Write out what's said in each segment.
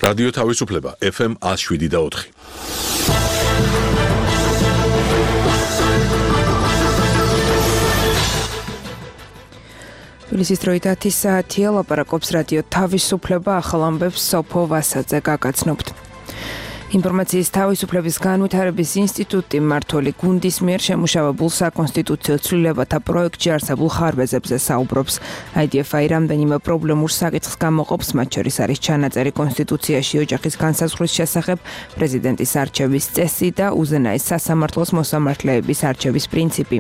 რადიო თავისუფლება FM 107.4. თბილისის დროით 10 საათია, ლაპარაკობს რადიო თავისუფლება, ახალ ამბებს სოფო ვასაძე გაგაცნობთ. ინფორმაციის თავისუფლების განვითარების ინსტიტუტი მმართველი გუნდის მიერ შემუშავებულ საკონსტიტუციო ცვლილებათა პროექტში არსებულ ხარვეზებზე საუბრობს. IDF-ი რამდენიმე პრობლემურ საკითხს გამოყოფს, მათ შორის არის ჩანაწერი კონსტიტუციაში ოჯახის განსაზღვრის შესახებ, პრეზიდენტის არჩევის წესი და უზენაეს სასამართლოს მოსამართლეების არჩევის პრინციპი.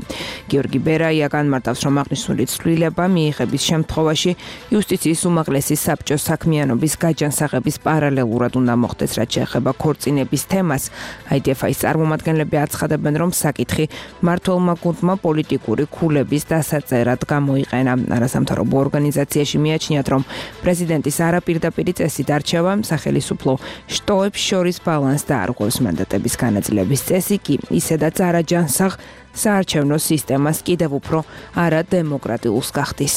გიორგი ბერაია განმარტავს, რომ აღნიშნული ცვლილება მიიღების შემთხვევაში იუსტიციის უმაღლესი საბჭოს საქმიანობის გაჯანსაღების პარალელურად უნდა მოხდეს, რაც შეეხება წინების თემას. IDF-ის წარმომადგენლები აცხადებენ, რომ საკითხი მმართველმა გუნდმა პოლიტიკური ქულების დასაწერად გამოიყენა. არასამთავრობო ორგანიზაციაში მიაჩნიათ, რომ პრეზიდენტის არაპირდაპირი წესით არჩევა სახელისუფლო შტოებს შორის ბალანსს დაარღვევს. მანდატების განაწილების წესი კი ისედაც არაჯანსაღ საარჩევნო სისტემას კიდევ უფრო არადემოკრატიულს გახდის.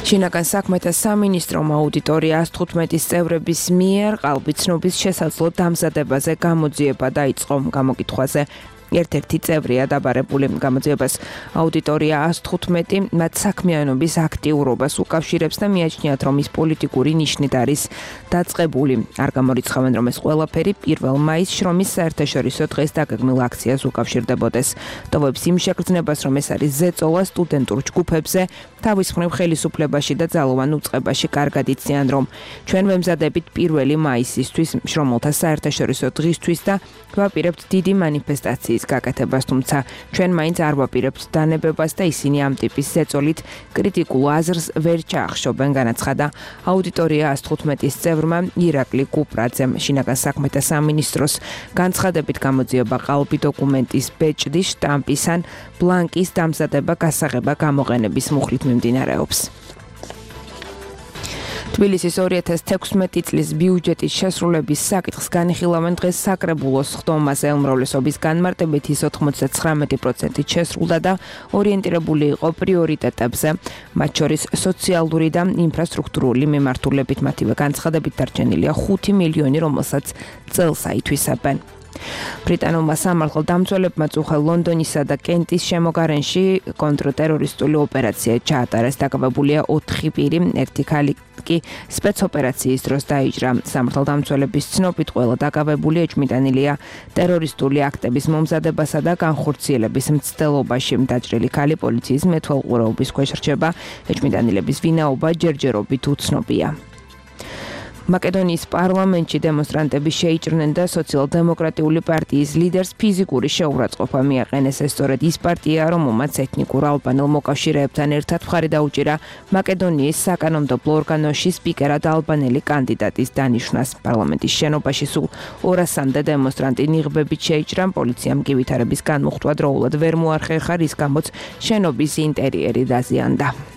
შინაგან საქმეთა სამინისტრომ აუდიტორია 115 წევრების მიერ ყალბიცნობის შესაძლო დამზადებაზე გამოძიება დაიწყო. გამოკითხვაზე ერთ-ერთი წევრია დაბარებული. გამოძიებას აუდიტორია 115 მათ საქმიანობის აქტიურობას უკავშირებს და მიაჩნიათ, რომ ის პოლიტიკური ნიშნით არის დაწყებული. არ გამორიცხავენ, რომ ეს ყველაფერი 1 მაისს შრომის საერთაშორისო დღეს დაგეგმილ აქციას უკავშირდებოდეს. ტოვებს იმ შეგრძნებას, რომ ეს არის ზეწოლა სტუდენტურ ჯგუფებზე, თავის მხრივ ხელისუფლებაში და ძალოვან უწყებაში კარგად იციან, რომ ჩვენ ვემზადებით 1 მაისისთვის შრომელთა საერთაშორისო დღისთვის და ვაპირებთ დიდი მანიფესტაციის გაკეთებას, თუმცა ჩვენ მაინც არ ვაპირებთ დანებებას და ისინი ამ ტიპის ზეწოლით კრიტიკულ აზრს ვერ ჩაახშობენ, განაცხადა აუდიტორია 115-ის წევრმა ირაკლი კუპრაძემ. შინაგან საქმეთა სამინისტროს განცხადებით გამოძიება ყალბი დოკუმენტის ბეჭდის, შტამპის ან ბლანკის დამზადება, გასაღება, გამოყენების მუხლით მიმდინარეობს. თბილისის 2016 წლის ბიუჯეტის შესრულების საკითხს განიხილავენ დღეს საკრებულოს ხდომაზე. უმრავლესობის განმარტებით ის 99% შესრულდა და ორიენტირებული იყო პრიორიტეტებზე, მათ შორის სოციალური და ინფრასტრუქტურული მიმართულებით. მათივე განცხადებით დარჩენილია 5 მილიონი, რომელსაც წელს აითვისებენ. ბრიტანულმა სამართალდამცველებმა წუხელ ლონდონისა და კენტის შემოგარენში კონტრტერორისტული ოპერაცია ჩაატარეს. დაკავებულია 4 პირი, ერთი ქალი კი სპეცოპერაციის დროს დაიჭრა. სამართალდამცველების ცნობით ყველა დაკავებული ეჭვმიტანილია ტერორისტული აქტების მომზადებასა და განხორციელების მცდელობაში. დაჭრილი ქალი პოლიციის მეთვალყურეობის ქვეშ რჩება. ეჭვმიტანილების ვინაობა ჯერჯერობით უცნობია. მაკედონიის პარლამენტში დემონსტრანტები შეიჭრნენ და სოციალ-დემოკრატიული პარტიის ლიდერს ფიზიკური შეურაცხყოფა მიაყენეს. ეს სწორედ ის პარტია, რომელმაც ეთნიკურ ალბანელ მოკავშირეებთან ერთად მხარი დაუჭირა მაკედონიის საკანონმდებლო ორგანოში სპიკერად ალბანელი კანდიდატის დანიშვნას. პარლამენტის შენობაში სულ 200-მდე დემონსტრანტი ნიღბებით შეიჭრა. პოლიციამ კი ვითარების განმუხტვა დროულად ვერ მოახერხა, რის გამოც შენობის ინტერიერი დაზიანდა.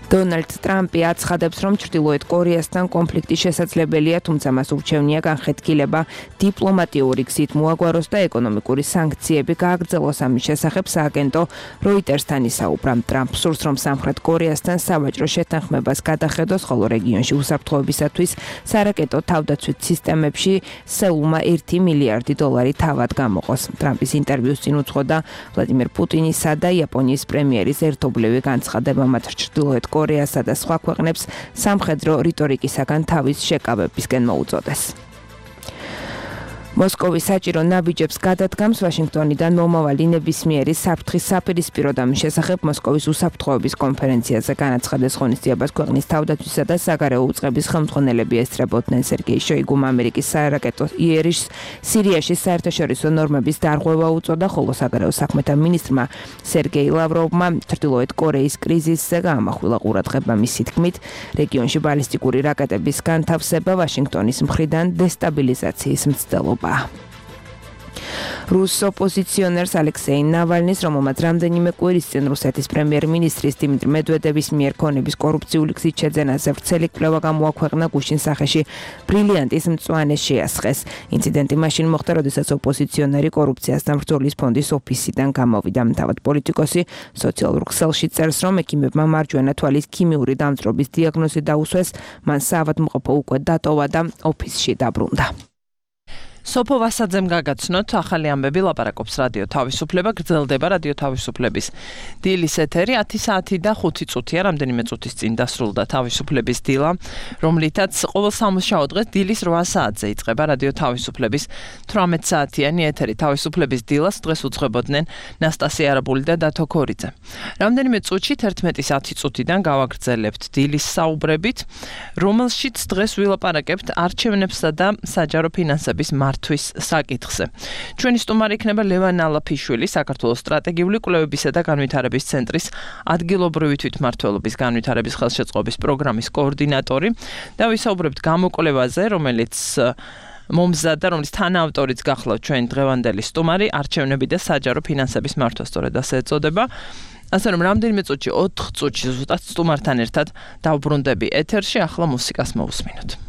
დონალდ ტრამპი აცხადებს, რომ ჩრდილოეთ კორეასთან კონფლიქტი შესაძლებელია, თუმცა მას ურჩევნია განხეთქილება დიპლომატიური გზით მოაგვაროს და ეკონომიკური სანქციები გააგრძელოს. ამის შესახებ სააგენტო როიტერსთან ისაუბრა. ტრამპ სურს, რომ სამხრეთ კორეასთან სავაჭრო შეთანხმებას გადახედოს, ხოლო რეგიონში უსაფრთხოებისათვის სარაკეტო თავდაცვით სისტემებში სეულმა 1 მილიარდი დოლარი თავად გამოყოს. ტრამპის ინტერვიუს წინ უძღოდა ვლადიმერ პუტინისა და იაპონიის პრემიერის ერთობლივი განცხადება, მათ ჩრდილოეთ კორეასა და სხვა ქვეყნებს სამხედრო რიტორიკისაგან თავის შეკავებისკენ მოუწოდეს. მოსკოვის საჭირო ნაბიჯებს გადადგამს ვაშინგტონიდან მომავალი ნებისმიერი საფრთხის საპირისპირო და მის შესახებ მოსკოვის უსაფრთხოების კონფერენციაზე განაცხადეს ღონისძიებას ქვეყნის თავდაცვისა და საგარეო უწყების ხელმძღვანელები ესწრებოდნენ. სერგეი შოიგუმ ამერიკის სარაკეტო იერიშს სირიაში საერთაშორისო ნორმების დარღვევა უწოდა, ხოლო საგარეო საქმეთა მინისტრმა სერგეი ლავროვმა ჩრდილოეთ კორეის კრიზისზე გაამახვილა ყურადღება. მისი თქმით, რეგიონში ბალისტიკური რაკეტების განთავსება ვაშინგტონის მხრიდან დესტაბილიზაციის მცდელობა. რუს ოპოზიციონერს ალექსეი ნავალნის, რომელმაც რამდენიმე კვირის წინ რუსეთის პრემიერ-მინისტრის დიმიტრი მედვედევის მიერ ქონების კორუფციული გზით შეძენაზე ვრცელი კვლევა გამოაქვეყნა გუშინ სახეში ბრილიანტის მწვანე შეასხეს. ინციდენტი მაშინ მოხდა, როდესაც ოპოზიციონერი კორუფციასთან ბრძოლის ფონდის ოფისიდან გამოვიდა. თავად პოლიტიკოსი სოციალურ ქსელში წერს, რომ ექიმებმა მარჯვენა თვალის ქიმიური დამწრობის დიაგნოზი დაუსვეს, მან საავადმყოფო უკვე დატოვა და ოფისში დაბრუნდა. სოფო ვასაძემ გაგაცნოთ, ახალი ამბები ლაპარაკობს რადიო თავისუფლება, გრძელდება რადიო თავისუფლების დილის ეთერი 10 საათი და 5 წუთია, რამდენიმე წუთის წინ დასრულდა თავისუფლების დილა, რომლითაც ყოველ სამუშაო დღეს დილის 8 საათზე იწყება რადიო თავისუფლების 18 საათიანი ეთერი. თავისუფლების დილას დღეს უძღვებოდნენ ნასტასია არაბული და დათო ქორიძე. რამდენიმე წუთში 11-ის 10 წუთიდან გავაგრძელებთ დილის საუბრებით, რომელშიც დღეს ვილაპარაკებთ არჩევნებსა და საჯარო ფინანსების თვის საკითხზე. ჩვენი სტუმარი იქნება ლევან ალაფიშვილი, საქართველოს სტრატეგიული კვლევებისა და განვითარების ცენტრის ადგილობრივი თვითმმართველობის განვითარების ხელშეწყობის პროგრამის კოორდინატორი და ვისაუბრებთ გამოკვლევაზე, რომელიც მომზადდა, რომლის თანაავტორიც გახლავთ ჩვენი დღევანდელი სტუმარი, არჩევნები და საჯარო ფინანსების მართვა, სწორედ ასე ეწოდება. ასე რომ რამდენიმე წუთში 4 წუთში ზუსტად სტუმართან ერთად დავბრუნდები ეთერში, ახლა მუსიკას მოვუსმინოთ.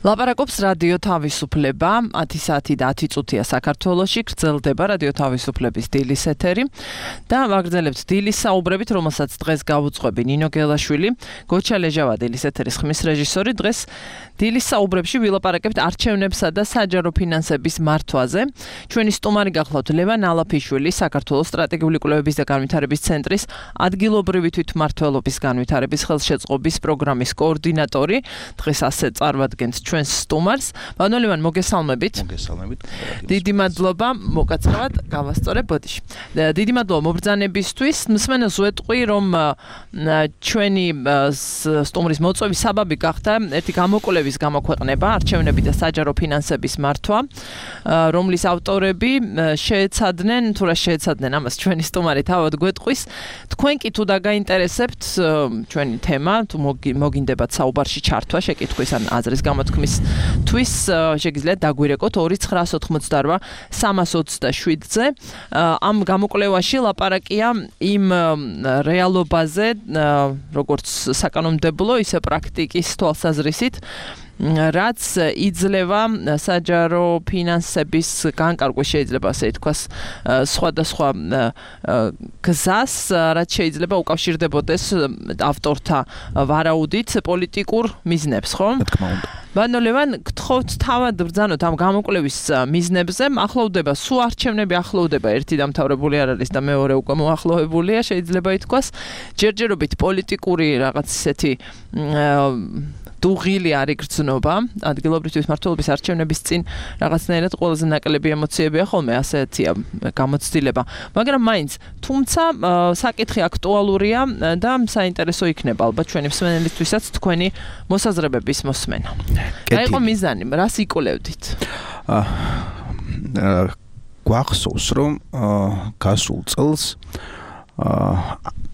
ლაპარაკობს რადიო თავისუფლება 10 საათი და 10 წუთია საქართველოში გრძელდება რადიო თავისუფლების დილის ეთერი და ვაგრძელებთ დილის საუბრებით, რომელსაც დღეს გავუძღვები ნინო გელაშვილი, გოჩა ლეჟავა დილის ეთერის ხმის რეჟისორი. დღეს დილის საუბრებში ვილაპარაკებთ არჩევნებსა და საჯარო ფინანსების მართვაზე. ჩვენი სტუმარი გახლავთ ლევან ალაფიშვილი, საქართველოს სტრატეგიული კვლევების და განვითარების ცენტრის ადგილობრივი თვითმმართველობის განვითარების ხელშეწყობის პროგრამის კოორდინატორი. დღეს ასე წარვადგენთ ჩვენს სტუმარს. ბანო ლევან, მოგესალმებით. მოგესალმებით. დიდი მადლობა, მოგაცრავად გავასწორებ ბოდიში. დიდი მადლობა მობრძანებისთვის. მსმენელს ვეტყვი, რომ ჩვენი სტუმრის მოწვევის საბაბი გახდა ერთი გამოკვლევის გამოქვეყნება არჩევნები და საჯარო ფინანსების მართვა, რომლის ავტორები შეეცადნენ, თუ რა შეეცადნენ ამას ჩვენი სტუმარი თავად გვეტყვის. თქვენ კი თუ დაგაინტერესებთ ჩვენი თემა, თუ მოგინდებათ საუბარში ჩართვა, შეკითხვის ან აზრის გამოთქმისთვის, შეგიძლიათ დაგვირეკოთ 2988 327-ზე. ამ გამოკვლევაში ლაპარაკია იმ რეალობაზე, როგორც საკანონმდებლო, ისე პრაქტიკის თვალსაზრისით, რაც იძლევა საჯარო ფინანსების განკარგვის, შეიძლება ასე ითქვას, სხვადასხვა გზას, რაც შეიძლება უკავშირდებოდეს ავტორთა ვარაუდით პოლიტიკურ მიზნებს, ხო? რა თქმა უნდა. ბანო ლევან, გთხოვთ თავად ბრძანოთ ამ გამოკვლევის მიზნებზე. ახლოვდება, სულ არჩევნები ახლოვდება, ერთი დამთავრებული არ არის და მეორე უკვე მოახლოვებულია, შეიძლება ითქვას. ჯერჯერობით პოლიტიკური რაღაც ისეთი დუღილი არ იგრძნობა, ადგილობრივი თვითმმართველობის არჩევნების წინ რაღაცნაირად ყველაზე ნაკლები ემოციებია ხოლმე, ასეთია გამოცდილება. მაგრამ მაინც, თუმცა საკითხი აქტუალურია და საინტერესო იქნება ალბათ ჩვენი მსმენელისთვისაც თქვენი მოსაზრებების მოსმენა. რა იყო მიზანი, რას იკვლევდით? გვახსოვს, რომ გასულ წელს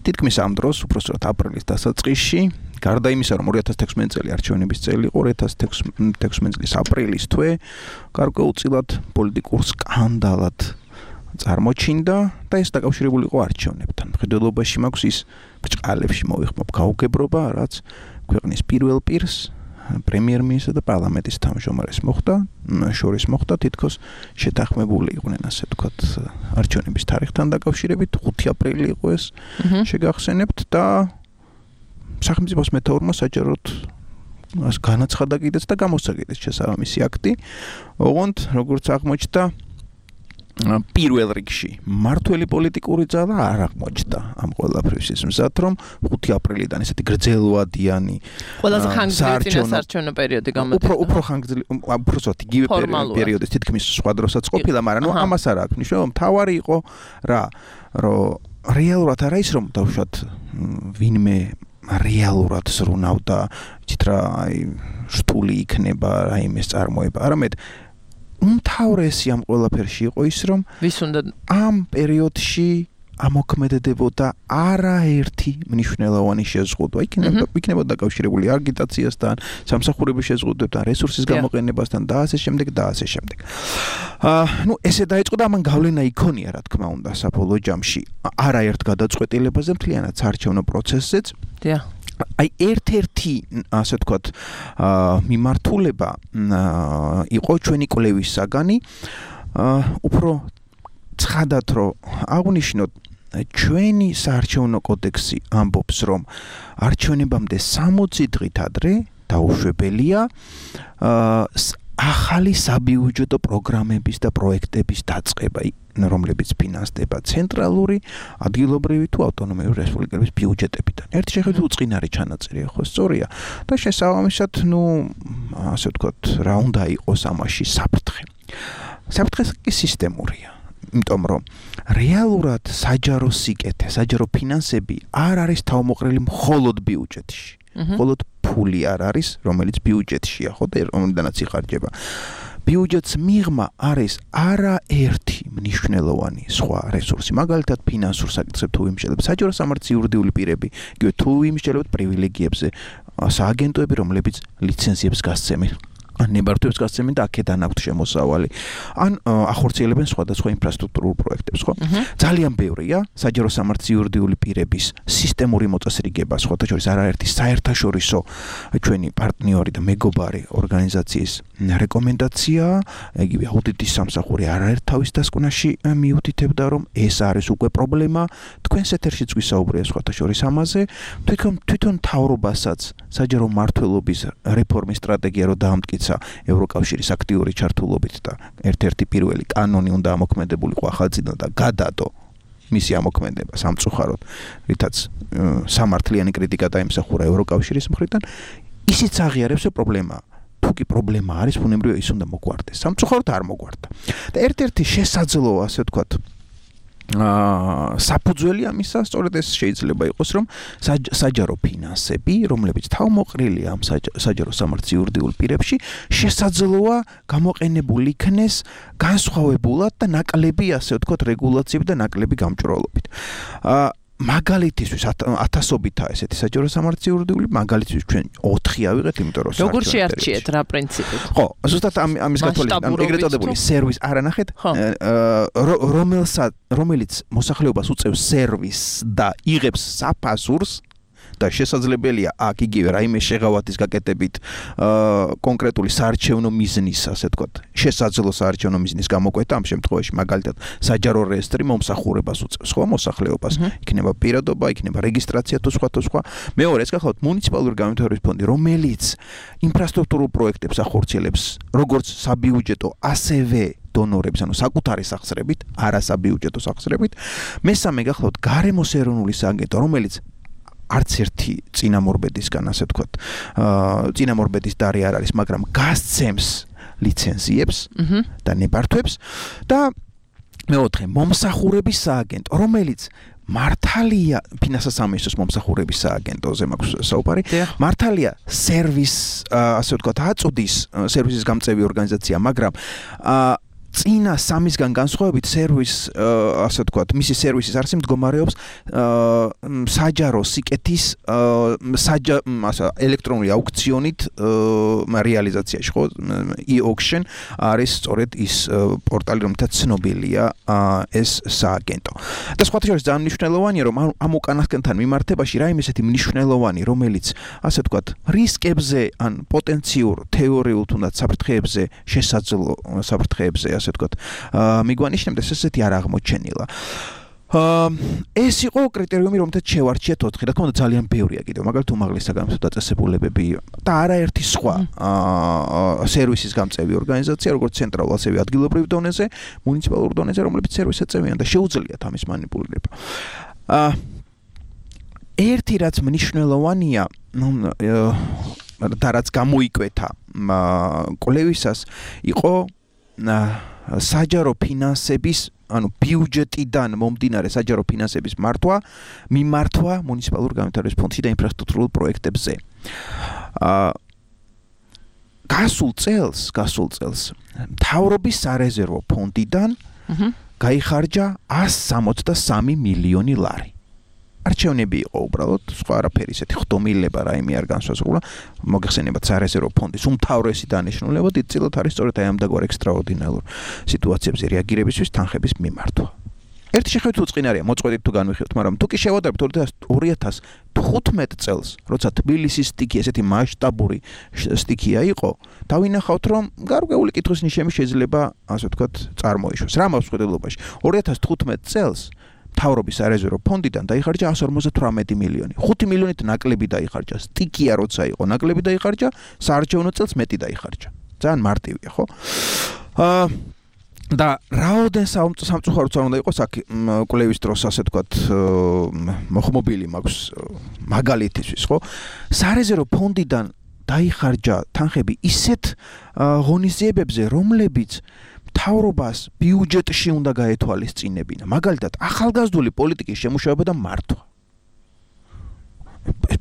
თითქმის ამ დროს, უпростоრად აპრილის დასაწყისში, გარდა იმისა, რომ 2016 წელი არჩევნების წელი იყო, 2016 წლის აპრილის თვე გარკვეულწილად პოლიტიკურ სკანდალად წარმოჩინდა და ეს დაკავშირებული იყო არჩევნებთან. მხედველობაში მაქვს ის ბრჭყალებში მოვიხმობ გაუგებრობა, რაც ქვეყნის პირველ პირს, პრემიერ-მინისტრს და პარლამენტის თავმჯდომარეს შორის მოხდა, თითქოს შეთანხმებული იყვნენ, ასე ვთქვათ, არჩევნების თარიღთან დაკავშირებით. 5 აპრილი იყო ეს, შეგახსენებთ და სახელმწიფოს მეთაურმა საჯაროდ განაცხადა კიდეც და გამოსცა კიდეც შესაბამისი აქტი. ოღონდ, როგორც აღმოჩნდა, პირველ რიგში მმართველი პოლიტიკური ძალა არ აღმოჩნდა ამ ყველაფრის მზად, რომ 5 აპრილიდან ესეთი გრძელვადიანი ყველაზე ხანგრძლივი წინასარჩევნო პერიოდი გამოდგა. უფრო ხანგრძლივი, უბრალოდ იგივე პერიოდის თითქმის სხვა დროსაც ყოფილა, მაგრამ ამას არ აქვს ნიშნობა, მთავარი იყო რა, რომ რეალურად არა ის, რომ დავუშვათ ვინმე რეალურად ზრუნავდა, იცით რა, რთული იქნება რაიმეს წარმოება, არამედ უმთავრესი ამ ყველაფერში იყო ის, რომ ვის უნდა ამ პერიოდში ამოქმედებოდა არაერთი მნიშვნელოვანი შეზღუდვა. იქნებოდა დაკავშირებული აგიტაციასთან, სამსახურების შეზღუდვებთან, რესურსის გამოყენებასთან და ასე შემდეგ და ასე შემდეგ. ესე დაიწყო და ამან გავლენა იქონია, რა თქმა უნდა, საბოლოო ჯამში არაერთ გადაწყვეტილებაზე მთლიანად საარჩევნო პროცესზეც. აი ერთ-ერთი, ასე ვთქვათ, მიმართულება იყო ჩვენი კვლევის საგანი, უფრო ცხადად რომ აღნიშნოთ, ჩვენი საარჩევნო კოდექსი ამბობს, რომ არჩევნებამდე 60 დღით ადრე დაუშვებელია ახალი საბიუჯეტო პროგრამების და პროექტების დაწყება, რომლებიც ფინანსდება ცენტრალური, ადგილობრივი თუ ავტონომიური რესპუბლიკების ბიუჯეტებიდან. ერთი შეხედვით უწყინარი ჩანაწერია, ხო, სწორია. და შესაბამისად, ასე ვთქვათ, რა უნდა იყოს ამაში საფრთხე. საფრთხე კი სისტემურია. იმიტომ რომ რეალურად საჯარო სიკეთე, საჯარო ფინანსები არ არის თავმოყრილი მხოლოდ ბიუჯეტში. მხოლოდ ფული არ არის, რომელიც ბიუჯეტშია, ხო, და რომელიდანაც იხარჯება. ბიუჯეტს მიღმა არის არაერთი მნიშვნელოვანი სხვა რესურსი. მაგალითად, ფინანსურ საკითხებს თუ ვიმსჯელებთ, საჯარო სამართლის იურიდიული პირები, იგივე თუ ვიმსჯელებთ პრივილეგიებზე, სააგენტოები, რომლებიც ლიცენზიებს გასცემენ ან ნებართვებს გასცემენ და აქედან აქვთ შემოსავალი. ან ახორციელებენ სხვადასხვა ინფრასტრუქტურულ პროექტებს, ხო? ძალიან ბევრია საჯარო სამართლის იურიდიული პირების სისტემური მოწესრიგება, სხვათა შორის არაერთი საერთაშორისო ჩვენი პარტნიორი და მეგობარი ორგანიზაციის რეკომენდაცია, იგივე აუდიტის სამსახური არაერთ თავის დასკვნაში მიუთითებდა, რომ ეს არის უკვე პრობლემა, თქვენს ეთერშიც ვისაუბრია სხვათა შორის ამაზე, თვითონ მთავრობასაც საჯარო მმართველობის რეფორმის სტრატეგია რო დაამტკიცა ევროკავშირის აქტიური ჩართულობით და ერთ-ერთი პირველი კანონი უნდა ამოქმედებულიყო ახალწინა და გადადო მისი ამოქმედება სამწუხაროდ, რითაც სამართლიანი კრიტიკა დაიმსახურა ევროკავშირის მხრიდან, ისიც აღიარებს, რომ პრობლემაა. თუ კი პრობლემა არის, ბუნებრივია ის უნდა მოგვარდეს. სამწუხაროდ არ მოგვარდა. და ერთ-ერთი შესაძლოა, ასე ვთქვათ, საფუძველი ამისა სწორედ ეს შეიძლება იყოს, რომ საჯარო ფინანსები, რომლებიც თავმოყრილია ამ საჯარო სამართლის იურიდიულ პირებში, შესაძლოა გამოყენებული იქნეს განსხვავებულად და ნაკლები, ასე ვთქვათ, რეგულაციებით და ნაკლები გამჭრელობით. მაგალითისთვის ათასობითაა ესეთი საჯარო სამართლის იურიდიული, მაგალითისთვის ჩვენ 4 ავიღეთ, იმიტომ რომ როგორ შეარჩიეთ რა პრინციპით? ხო, ზუსტად ამის გათვალისწინებით, ეგრეთ წოდებული სერვის არა ნახეთ, რომელიც მოსახლეობას უწევს სერვისს და იღებს საფასურს და შესაძლებელია აქ იგივე რაიმე შეღავათის გაკეთებით კონკრეტული საარჩევნო მიზნის, ასე ვთქვათ, შესაძლო საარჩევნო მიზნის გამოკვეთა, ამ შემთხვევაში მაგალითად საჯარო რეესტრი მომსახურებას უწევს, ხო, მოსახლეობას, იქნება პირადობა, იქნება რეგისტრაცია თუ სხვა. მეორე, ეს გახლავთ მუნიციპალური განვითარების ფონდი, რომელიც ინფრასტრუქტურულ პროექტებს ახორციელებს, როგორც საბიუჯეტო, ასევე დონორებს, ანუ საკუთარი სახსრებით, არა საბიუჯეტო სახსრებით. მესამე გახლავთ გარემოს ეროვნული სააგენტო, რომელიც არც ერთი წინამორბედისგან, ასე ვთქვათ, წინამორბედის დარი არ არის, მაგრამ გასცემს ლიცენზიებს და ნებართვებს და მეოთხე მომსახურების სააგენტო, რომელიც მართალია ფინანსთა სამინისტროს მომსახურების სააგენტოზე მაქვს საუბარი, მართალია სერვის, ასე ვთქვათ, აწუდის სერვისის გამწევი ორგანიზაცია, მაგრამ წინა სამისგან განსხვავებით სერვის, ასე ვთქვათ, მისი სერვისის არსი მდგომარეობს საჯარო სიკეთის ელექტრონული აუქციონით რეალიზაციაში, ხო? e-auction არის სწორედ ის პორტალი, რომელთაც ცნობილია ეს სააგენტო. და სხვათა შორის ძალიან მნიშვნელოვანია, რომ ამ უკანასკნელთან მიმართებაში რაიმე ესეთი მნიშვნელოვანი, რომელიც, ასე ვთქვათ, რისკებზე ან პოტენციურ თეორიულ თუნდაც საფრთხეებზე, შესაძლო საფრთხეებზე, ასე ვთქვათ, მიგვანიშნებდეს, ესეთი არ აღმოჩენილა. ეს იყო კრიტერიუმი, რომელთაც შევარჩიეთ 4. რა თქმა უნდა, ძალიან ბევრია კიდევ, მაგალითად უმაღლესი საგამოწმო დაწესებულებები და არაერთი სხვა სერვისის გამწევი ორგანიზაცია, როგორც ცენტრალურ, ასევე ადგილობრივ დონეზე, მუნიციპალურ დონეზე, რომლებიც სერვისს ეწევიან და შეუძლიათ ამის манипуლირება. ერთი რაც მნიშვნელოვანია, და რაც გამოიკვეთა კვლევისას, იყო საჯარო ფინანსების, ანუ ბიუჯეტიდან მომდინარე საჯარო ფინანსების მიმართვა მუნიციპალურ განვითარების ფონდში და ინფრასტრუქტურულ პროექტებზე. გასულ წელს მთავრობის სარეზერვო ფონდიდან გაიხარჯა 163 მილიონი ლარი. არჩევნები იყო უბრალოდ, სხვა არაფერი, ესეთი ხდომილება რაიმე არ განსაზღვრულა. მოგეხსენებათ სარეზერვო ფონდის უმთავრესი დანიშნულება დიდწილად არის სწორედ აი ამ დაგვარ ექსტრაორდინარულ სიტუაციებზე რეაგირებისთვის თანხების მიმართვა. ერთი შეხედვით უწყინარია, მოწყვეტით თუ განვიხილოთ, მაგრამ თუ კი შევადარებთ 2015 წელს, როცა თბილისის სტიქი ესეთი მასშტაბური სტიქია იყო, დავინახავთ, რომ გარკვეული კითხვის ნიშნები შეიძლება, ასე ვთქვათ, წარმოიშვას. რა მაქვს ხედელობაში? 2015 წელს მთავრობის სარეზერვო ფონდიდან დაიხარჯა 158 მილიონი. 5 მილიონით ნაკლები დაიხარჯა. სტიქია როცა იყო, ნაკლები დაიხარჯა, საარჩევნო წელს მეტი დაიხარჯა. ძალიან მარტივია, ხო? და რაოდენ სამწუხაროდ არ უნდა იყოს აქ კვლევის დროს, ასე ვთქვათ, მოხმობილი მაქვს მაგალითისთვის, ხო? სარეზერვო ფონდიდან დაიხარჯა თანხები ისეთ ღონისძიებებზე, რომლებიც მთავრობას ბიუჯეტში უნდა გაეთვალისწინებინა. მაგალითად, ახალგაზრდული პოლიტიკის შემუშავება და მართვა.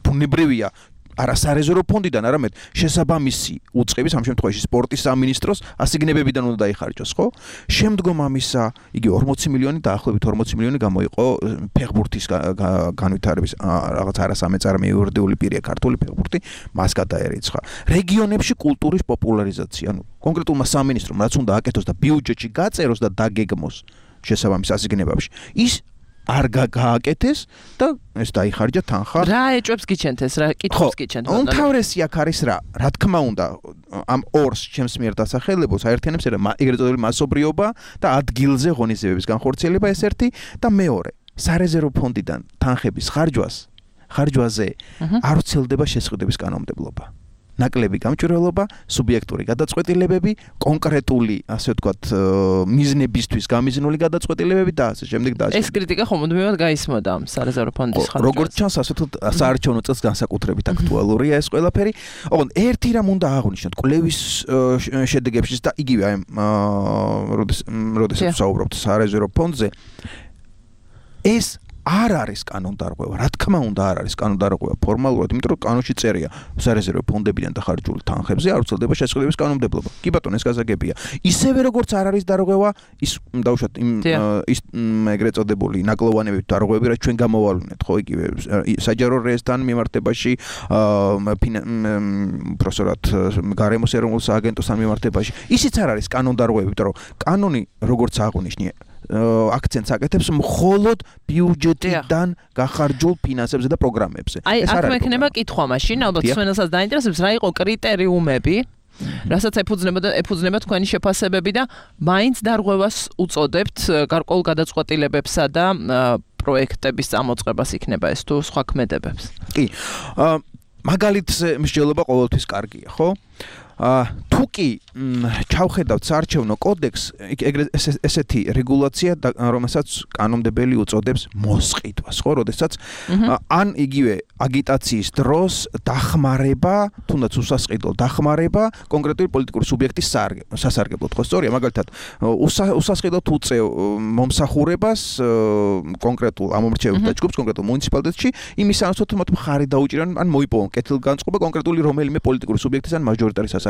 ბუნებრივია, არა სარეზერვო ფონდიდან, არამედ შესაბამისი უწყების, ამ შემთხვევაში სპორტის სამინისტროს ასიგნებებიდან უნდა დაიხარჯოს, ხო? შემდგომ ამისა, იგი 40 მილიონი დაახლოებით 40 მილიონი გამოიყო ფეხბურთის განვითარების რაღაც არასამეწარმე იურიდიული პირია ქართული ფეხბურთი, მას გადაერიცხა. რეგიონებში კულტურის პოპულარიზაცია, ანუ კონკრეტულმა სამინისტრომ რაც უნდა აკეთოს და ბიუჯეტში გაწეროს და დაგეგმოს შესაბამის ასიგნებებში, ის არ გააკეთეს და ეს დაიხარჯა თანხა. რა ეჭვებს გიჩენთ ეს, რა კითხვებს გიჩენთ? უმთავრესი აქ არის რა თქმა უნდა, ამ ორს ჩემს მიერ დასახელებულს აერთიანებს ეგრეთ წოდებული მასობრიობა და ადგილზე ღონისძიებების განხორციელება ეს ერთი და მეორე, სარეზერვო ფონდიდან თანხების ხარჯვაზე არ ვრცელდება შესყიდვების კანონმდებლობა. ნაკლები გამჭვირვალობა, სუბიექტური გადაწყვეტილებები, კონკრეტული, ასე ვთქვათ, მიზნებისთვის გამიზნული გადაწყვეტილებები და ასე შემდეგ და ასე. ეს კრიტიკა ხომუდმივად გაისმოდა ამ სარეზერვო ფონდის ხარჯვაზე. როგორც ჩანს, ასე ვთქვათ, საარჩევნო წელს განსაკუთრებით აქტუალურია ეს ყველაფერი. ოღონდ ერთი რამ უნდა აღნიშნოთ კლევის შედეგებში და იგივე აი როდესაც ვსაუბრობთ სარეზერვო ფონდზე, ეს არ არის კანონდარღვევა, რა თქმა უნდა არ არის კანონდარღვევა ფორმალურად, იმიტომ რომ კანონში წერია სარეზერვო ფონდებიდან დახარჯული თანხებზე არ ვრცელდება შესყიდვების კანონმდებლობა. კი ბატონო, ეს გასაგებია. ისევე როგორც არ არის დარღვევა, ის დავუშვათ ის ეგრეთ წოდებული ნაკლოვანები დარღვევები, რაც ჩვენ გამოვალუნეთ, ხო, იგივე საჯარო რეესთან მიმართებაში, პროფესორად გარემოს ეროვნულ სააგენტოსთან მიმართებაში. ისიც არ არის კანონდარღვევები, იმიტომ რომ კანონი როგორც აღნიშნე აქცენტს აკეთებს მხოლოდ ბიუჯეტიდან გახარჯულ ფინანსებზე და პროგრამებზე. აი, აქ მექნება კითხვა მაშინ, ალბათ სვენელსაც დაინტერესებს, რა იყო კრიტერიუმები, რასაც ეფუძნება თქვენი შეფასებები და მაინც დარღვევას უწოდებთ გარკვეულ გადაწყვეტილებებსა და პროექტების წამოწყებას იქნება ეს თუ სხვა ქმედებებს. კი. მაგალითზე მსჯელობა ყოველთვის კარგია, ხო? თუ კი ჩავხედავთ საარჩევნო კოდექსს, ესეთი რეგულაცია, რომელსაც კანონმდებელი უწოდებს მოსყიდვას, ხო, როდესაც ან იგივე აგიტაციის დროს დახმარება, თუნდაც უსასყიდლო დახმარება კონკრეტული პოლიტიკური სუბიექტის სასარგებლოდ, ხო, სწორია, მაგალითად, უსასყიდლოდ უწევ მომსახურებას კონკრეტულ ამომრჩეველთა ჯგუფს, კონკრეტულ მუნიციპალიტეტში, იმის სანაცვლოდ მათ მხარი დაუჭირან, ან მოიპოვონ კეთილგანწყობა კონკრეტული რომელიმე პოლიტიკური სუბიექტის ან მაჟორიტარის სასარგებლოდ.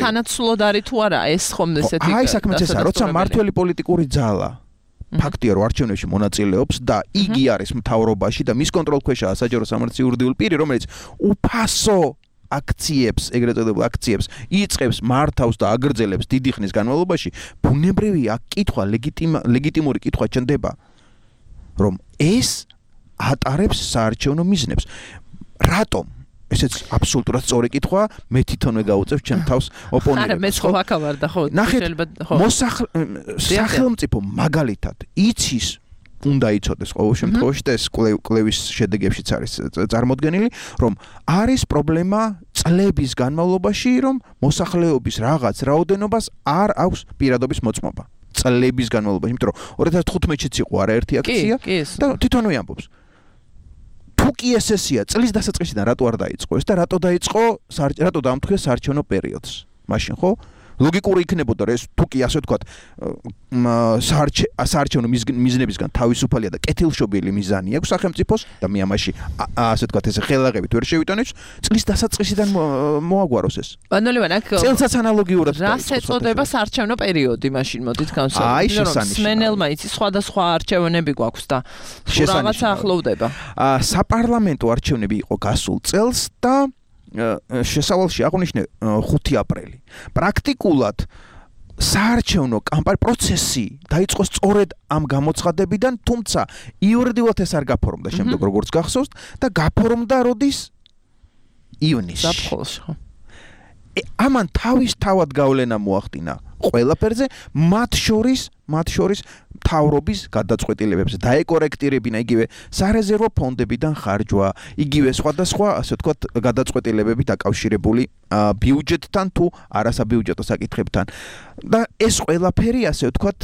სანაცვლოდ არის თუ არა ეს ხომ ესეთი აი საქმეც ესაა, როცა მართველი პოლიტიკური ძალა ფაქტია რომ არჩევნებში მონაწილეობს და იგი არის მთავრობაში და მის კონტროლქვეშაა საჯარო სამართლის იურიდიული პირი, რომელიც უფასო აქციებს, ეგრეთ წოდებულ აქციებს იწყებს, მართავს და აგრძელებს დიდი ხნის განმავლობაში, ბუნებრივია კითხვა, ლეგიტიმური კითხვა ჩნდება, რომ ეს ატარებს საარჩევნო მიზნებს. რატომ? ესეც აბსოლუტურად სწორი კითხვა, მე თვითონვე გავუწევ ჩემ თავს ოპონენტებს. არა, მე ხო ვაკავარდა, ხო, შეიძლება ხო. სახელმწიფო მაგალითად იცის უნდა იცოდეს ყოველ შემთხვევაში და ეს კლევის შედეგებშიც არის წარმოდგენილი, რომ არის პრობლემა წლების განმავლობაში, რომ მოსახლეობის რაღაც რაოდენობას არ აქვს პირადობის მოწმობა. წლების განმავლობაში, იმიტომ რომ 2015-იც იყო არაერთი აქცია და თვითონვე ამბობს. თუ კი ესეა, წლის დასაწყისიდან რატო არ დაიწყო ეს და რატო დაამტკიცა საარჩევნო პერიოდს? მაშინ ხო? ლოგიკური იქნებოდა რომ ეს თუ კი ასე ვთქვათ, საარჩევნო მიზნებისგან თავისუფალია და კეთილშობილი მიზანი აქვს სახელმწიფოს და მე ამაში ასე ვთქვათ ეს ხელაღებით ვერ შევიტანებს, წლის დასაწყისიდან მოაგვაროს ეს. ბანოლევან აქ წელსაც ანალოგიურად რას ეწოდება საარჩევნო პერიოდი მაშინ მოდით განსაზღვროთ. სმენელმა იცის სხვადასხვა არჩევნები გვაქვს და რაღაცა ახლოვდება. საპარლამენტო არჩევნები იყო გასულ წელს და შესავალში აღნიშნე 5 აპრილი. პრაქტიკულად საარჩევნო პროცესი დაიწყო სწორედ ამ გამოცხადებიდან, თუმცა იურიდიულად ეს არ გაფორმდა შემდეგ როგორც გახსოვთ და გაფორმდა როდის ივნისში. ზაფხულში. ამან თავისთავად გავლენა მოახდინა ყველაფერზე, მათ შორის მთავრობის გადაწყვეტილებებზე დაეკორექტირებინა იგივე სარეზერვო ფონდებიდან ხარჯვა, იგივე სხვადასხვა, ასე ვთქვათ, გადაწყვეტილებები დაკავშირებული ბიუჯეტთან თუ არასაბიუჯეტო საკითხებთან. და ეს ყველაფერი, ასე ვთქვათ,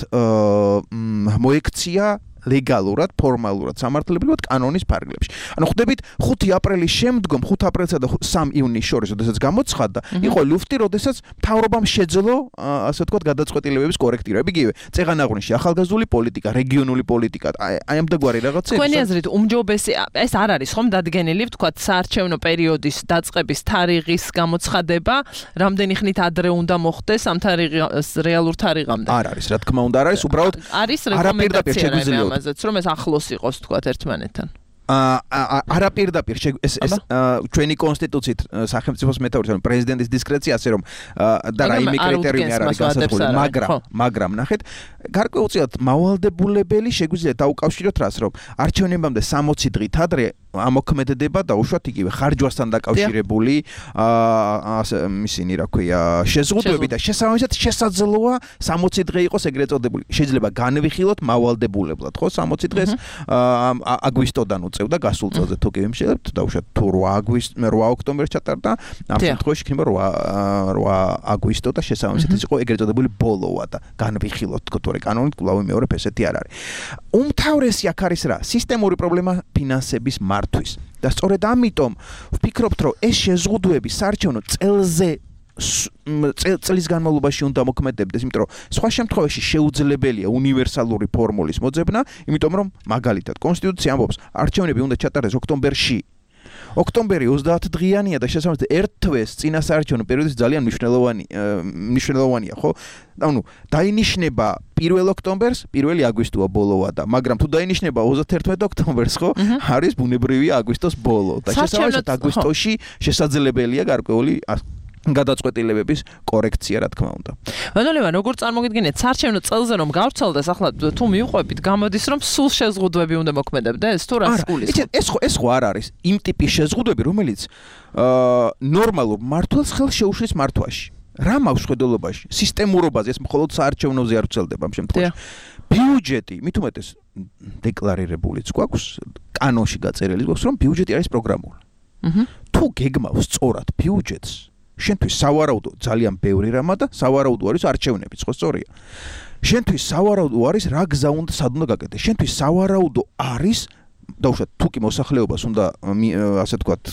მოექცია ლეგალურად, ფორმალურად, სამართლებრივად კანონის ფარგლებში. ანუ ხვდებით 5 აპრილის შემდგომ 5 აპრილსა და 3 ივნისს შორის, როდესაც გამოცხადდა, იყო ლუფტი, როდესაც მთავრობამ შეძლო, ასე ვთქვათ, გადაწყვეტილებების კორექტირება. იგივე, წეღანაღვნეში ახალგაზრდული პოლიტიკა, რეგიონული პოლიტიკა, აი ამდაგვარი რაღაცები. თქვენი აზრით, უმჯობესი ეს არ არის ხომ დადგენილი, ვთქვათ, საარჩევნო პერიოდის დაწყების თარიღის გამოცხადება, რამდენი ხნით ადრე უნდა მოხდეს ამ თარიღის რეალურ თარიღამდე? არ არის, რა თქმა უნდა, არ არის, უბრალოდ არის რეკომენდაცია ამაზეც, რომ ეს ახლოს იყოს, ვთქვათ, ერთმანეთთან. არაპირდაპირ ეს ჩვენი კონსტიტუციით სახელმწიფოს მეთაურის ანუ პრეზიდენტის დისკრეცია ასე რომ და რაიმე კრიტერიუმი არ არის განსაზღვრული, მაგრამ ნახეთ, გარკვეულწილად მავალდებულებელი შეგვიძლია დაუკავშიროთ რას, რომ არჩევნებამდე 60 დღით ადრე ამოქმედება და უშუალოდ იგივე ხარჯვასთან დაკავშირებული ისინი რა ქვია შეზღუდვები და შესაბამისად შესაძლოა 60 დღე იყოს ეგრეთ წოდებული. შეიძლება განვიხილოთ მავალდებულებლად, ხო, 60 დღეს აგვისტოდან უწევდა გასულ წელზე თუ კი ვიმშელებთ და უშუალოდ თუ 8 ოქტომბერს ჩატარდა, ამ შემთხვევაში იქნება 8 აგვისტო და შესაბამისად ის იყო ეგრეთ წოდებული ბოლოა და განვიხილოთ თქო, თორე კანონით კვლავ მეორე ესეთი არ არის. უმთავრესი აქ არის რა? სისტემური პრობლემა ფინანსების მართვის. და სწორედ ამიტომ ვფიქრობთ, რომ ეს შეზღუდვები საარჩევნო წელზე წლის განმავლობაში უნდა მოქმედებდეს, იმიტომ რომ სხვა შემთხვევაში შეუძლებელია უნივერსალური ფორმულის მოძებნა, იმიტომ რომ მაგალითად კონსტიტუცია ამბობს, არჩევნები უნდა ჩატარდეს ოქტომბერში. ოქტომბერი 30 დღიანია და შესაბამისად ერთ თვეს წინა საარჩევნო პერიოდის ძალიან მნიშვნელოვანია, ხო? ანუ დაინიშნება 1 ოქტომბერს, 1 აგვისტოა ბოლოა და მაგრამ თუ დაინიშნება 31 ოქტომბერს, ხო? არის ბუნებრივია აგვისტოს ბოლო და შესაბამისად აგვისტოში შესაძლებელია გარკვეული გადაწყვეტილებების კორექცია, რა თქმა უნდა. ბანოლევან, როგორ წარმოგიდგენიათ, საარჩევნო წელზე რომ გავცელდეს, ახლა თუ მივყვებით, გამოდის რომ სულ შეზღუდვები უნდა მოქმედებდეს, თუ რას გულისხმობთ? ეს ხო არ არის იმ ტიპის შეზღუდვები, რომელიც ნორმალურ მართლს ხელს შეუშლის მართვაში. რა მაქვს ხედულობაში? სისტემურობაზე, ეს მხოლოდ საარჩევნოზე არ ვრცელდება ამ შემთხვევაში. ბიუჯეტი, მით უმეტეს დეკლარირებულიც გვაქვს, კანონში გაწერილი გვაქვს, რომ ბიუჯეტი არის პროგრამული. თუ გეგმავს სწორად ბიუჯეტს, შენთვის სავარაუდო ძალიან ბევრი რამა და სავარაუდო არის არჩევნებიც, ხო სწორია? შენთვის სავარაუდო არის რა გზა უნდა სად უნდა გაკეთდეს. შენთვის სავარაუდო არის დაუშვათ თუ კი მოსახლეობას უნდა ასე ვთქვათ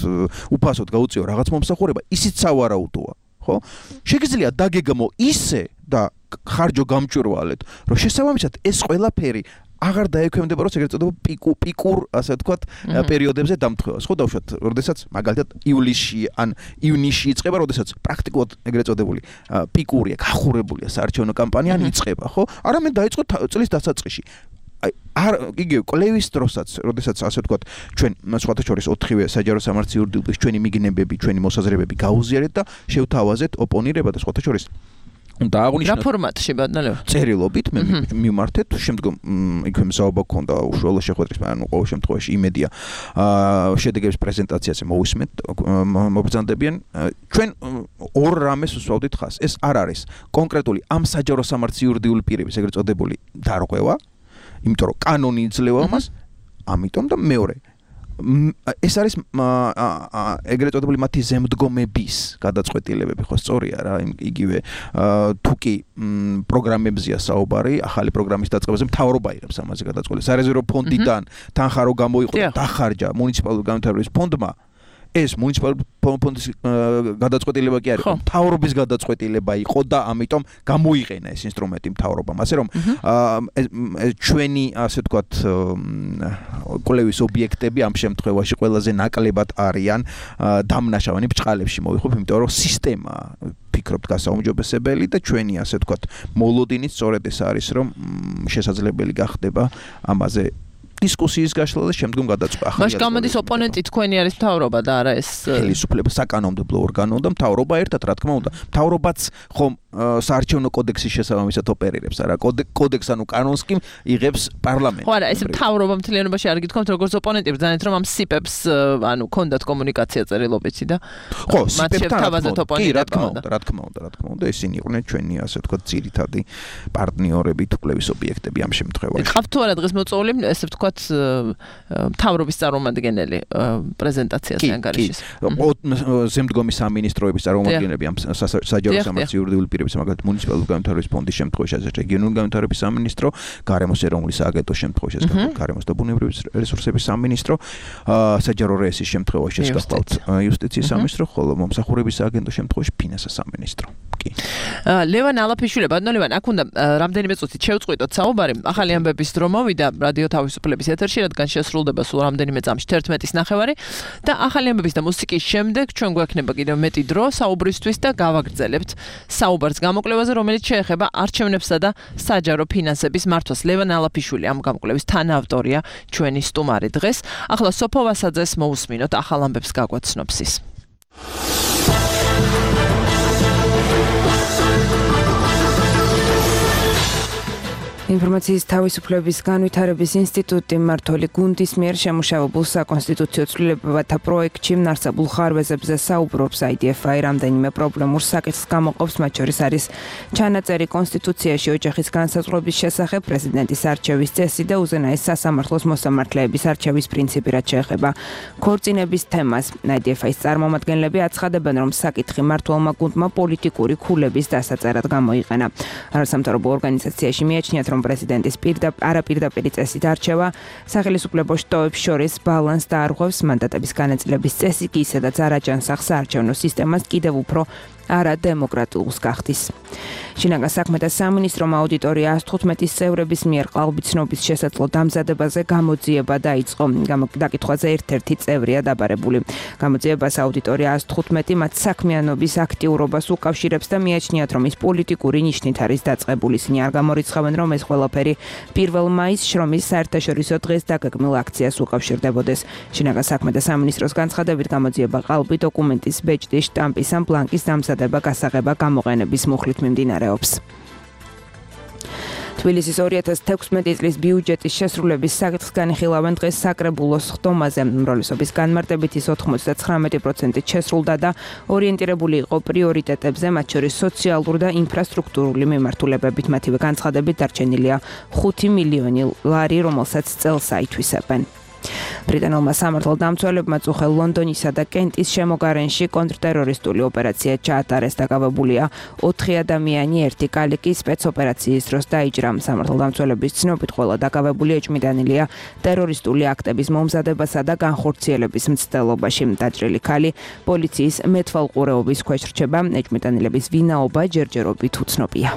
უფასოდ გაუწიო რაღაც მომსახურება, ისიც სავარაუდოა, ხო? შეგიძლია დაგეგმო ისე და ხარჯო გამჭვირვალეთ, რომ შესაბამისად ეს ყველაფერი აღარ დაექვემდებაროს ეგრეთ წოდებულ პიკურ, ასე ვთქვათ, პერიოდებზე დამთხევას, ხო, დაუშვათ, როდესაც მაგალითად ივლისში ან ივნისში იწყება, როდესაც პრაქტიკულად ეგრეთ წოდებული პიკურია, გახურებულია საარჩევნო კამპანია, ან იწყება, ხო? არამედ დაიწყო წლის დასაწყისში. იგივე კვლევის დროსაც, როდესაც ასე ვთქვათ, ჩვენ სხვათა შორის 4-ვე საჯარო სამართლის იურიდიულობის ჩვენი მიგნებები, ჩვენი მოსაზრებები გაუზიარეთ და შევთავაზეთ ოპონირება და სხვათა შორის და აღნიშნოთ რა ფორმატში ბატონო? წერილობით მე მივმართეთ, შემდგომ იქვე მზაობა გქონდა უშუალო შეხვედრის, ანუ ყოველ შემთხვევაში იმედია შედეგების პრეზენტაციაზე მოვისმენთ, მობრძანდებიან. ჩვენ ორ რამეს ვსვავდით ხაზს. ეს არ არის კონკრეტული ამ საჯარო სამართლის იურიდიული პირების ეგრეთ წოდებული დარღვევა, იმიტომ რომ კანონი იძლევა მას, ამიტომ და მეორე ეს არის ეგრეთ წოდებული მათი ზემდგომების გადაწყვეტილებები, ხო სწორია რა, იგივე თუ კი პროგრამებზეა საუბარი, ახალი პროგრამის დაწყებაზე მთავრობა იღებს ამაზე გადაწყვეტილებას. სარეზერვო ფონდიდან თანხა რო გამოიყო და დახარჯა მუნიციპალური განვითარების ფონდმა, ეს მუნიციპალური ფონდის გადაწყვეტილება კი არ იყო, მთავრობის გადაწყვეტილება იყო და ამიტომ გამოიყენა ეს ინსტრუმენტი მთავრობამ. ასე რომ ჩვენი, ასე ვთქვათ, კვლევის ობიექტები ამ შემთხვევაში ყველაზე ნაკლებად არიან დამნაშავენი ბრჭყალებში მოვიხობ, იმიტომ რომ სისტემა ფიქრობთ გასაუმჯობესებელი და ჩვენი, ასე ვთქვათ, მოლოდინიც სწორედ ეს არის, რომ შესაძლებელი გახდება ამაზე დისკუსიის გაშლა და შემდგომ გადაწყვეტა. მაშ გამოდის ოპონენტი თქვენი არის მთავრობა და არა ეს ხელისუფლება, საკანონმდებლო ორგანო და მთავრობა ერთად, რა თქმა უნდა. მთავრობაც ხომ საარჩევნო კოდექსის შესაბამისად ოპერირებს, არა? კოდექს ანუ კანონს კი იღებს პარლამენტი. ხო, არა, ეს მთავრობა მთლიანობაში არ გითხოვთ, როგორც ოპონენტი ბრძანეთ, რომ ამ სიპებს ანუ კონდათ კომუნიკაცია წერილობითი და ხო, სიპებთან კი, რა თქმა უნდა, ისინი იყვნენ ჩვენი, ასე ვთქვათ, ძირითადი პარტნიორები, კვლევის ობიექტები ამ შემთხვევაში. ყავთ თუ არა დღეს მოწვეული, ესე ვთქვათ, ვთქვათ, მთავრობის წარმომადგენელი პრეზენტაციაზე ანგარიშის. ზემდგომი სამინისტროების წარმომადგენლები ამ საჯარო სამართლის იურიდიული პირების, მაგალითად მუნიციპალური განვითარების ფონდის შემთხვევაში, ასე რეგიონული განვითარების სამინისტრო, გარემოს ეროვნული სააგენტოს შემთხვევაში, ასე გარემოს და ბუნებრივი რესურსების სამინისტრო, საჯარო რეესის შემთხვევაში გახლავთ იუსტიციის სამინისტრო, ხოლო მომსახურების სააგენტოს შემთხვევაში ფინანსთა სამინისტრო. ლევან ალაფიშვილი, ბატონო ლევან, აქ უნდა რამდენიმე წუთით შევწყვიტოთ საუბარი. ახალი ამბების დრო მოვიდა რადიო თავისუფლების ეთერში, რადგან შესრულდება სულ რამდენიმე წამში 11:30 და ახალი ამბების და მუსიკის შემდეგ ჩვენ გვექნება კიდევ მეტი დრო საუბრისთვის და გავაგრძელებთ საუბარს გამოკვლევაზე, რომელიც შეეხება არჩევნებსა და საჯარო ფინანსების მართვას. ლევან ალაფიშვილი ამ გამოკვლევის თანაავტორია ჩვენი სტუმარი დღეს. ახლა სოფო ვასაძეს მოусმინოთ ახალ ამბებს გაგვაცნობს ის. ინფორმაციის თავისუფლების განვითარების ინსტიტუტი მმართველი გუნდის მიერ შემუშავებულ საკონსტიტუციო ცვლილებათა პროექტში არსებულ ხარვეზებზე საუბრობს. IDF-ი რამდენიმე პრობლემურ საკითხს გამოყოფს, მათ შორის არის ჩანაწერი კონსტიტუციაში ოჯახის განსაზღვრების შესახებ, პრეზიდენტის არჩევის წესი და უზენაეს სასამართლოს მოსამართლეების არჩევის პრინციპი, რაც შეეხება ქორწინების თემას. IDF-ის წარმომადგენლები აცხადებენ, რომ საკითხი მმართველმა გუნდმა პოლიტიკური ქულების დასაწერად გამოიყენა. არასამთავრობო ორგანიზაციაში მიაჩნიათ, რომ პრეზიდენტის არაპირდაპირი წესით არჩევა სახელმწიფო შტოებს შორის ბალანსს დაარღვევს, მანდატების განაწილების წესი კი ისედაც არ აჯანსახს საარჩევნო სისტემას კიდევ უფრო არადემოკრატიულს გახდის. შინაგან საქმეთა სამინისტრომ აუდიტორია 115 წევრების მიერ ყალბიცნობის შესაძლო დამზადებაზე გამოძიება დაიწყო. დაკითხვაზე ერთ-ერთი წევრია დაბარებული. გამოძიებას აუდიტორია 115 მათ საქმიანობის აქტიურობას უკავშირებს და მიაჩნიათ, რომ ის პოლიტიკური ნიშნით არის დაწყებული. ისინი არ გამორიცხავენ, რომ ეს ყველაფერი 1 მაისს შრომის საერთაშორისო დღეს დაგეგმილ აქციას უკავშირდებოდეს. შინაგან საქმეთა სამინისტროს განცხადებით გამოძიება ყალბი დოკუმენტის ბეჭდის შტამპის ან ბლანკის დამზადება გასაღება გამოყენების მუხლით მიმდინარეობს. თბილისის 2016 წლის ბიუჯეტის შესრულების საკითხს განიხილავენ დღეს საკრებულოს ხდომაზე. უმრავლესობის განმარტებით ის 99%-ით შესრულდა და ორიენტირებული იყო პრიორიტეტებზე, მათ შორის სოციალურ და ინფრასტრუქტურული მიმართულებებით. მათივე განცხადებით დარჩენილია 5 მილიონი ლარი, რომელსაც წელს აითვისებენ. ბრიტანულმა სამართალდამცველებმა წუხელ ლონდონისა და კენტის შემოგარენში კონტრტერორისტული ოპერაცია ჩაატარეს. დაკავებულია 4 ადამიანი, 1 კალიკი სპეცოპერაციის დროს დაიჭრა. სამართალდამცველების ცნობით ყველა დაკავებული ეჭვმიტანილია ტერორისტული აქტების მომზადებასა და განხორციელების მცდელობაში. დაჭრილი ქალი პოლიციის მეტვალყურეობის ქვეშ რჩება. ეჭვმიტანილების ვინაობა ჯერჯერობით უცნობია.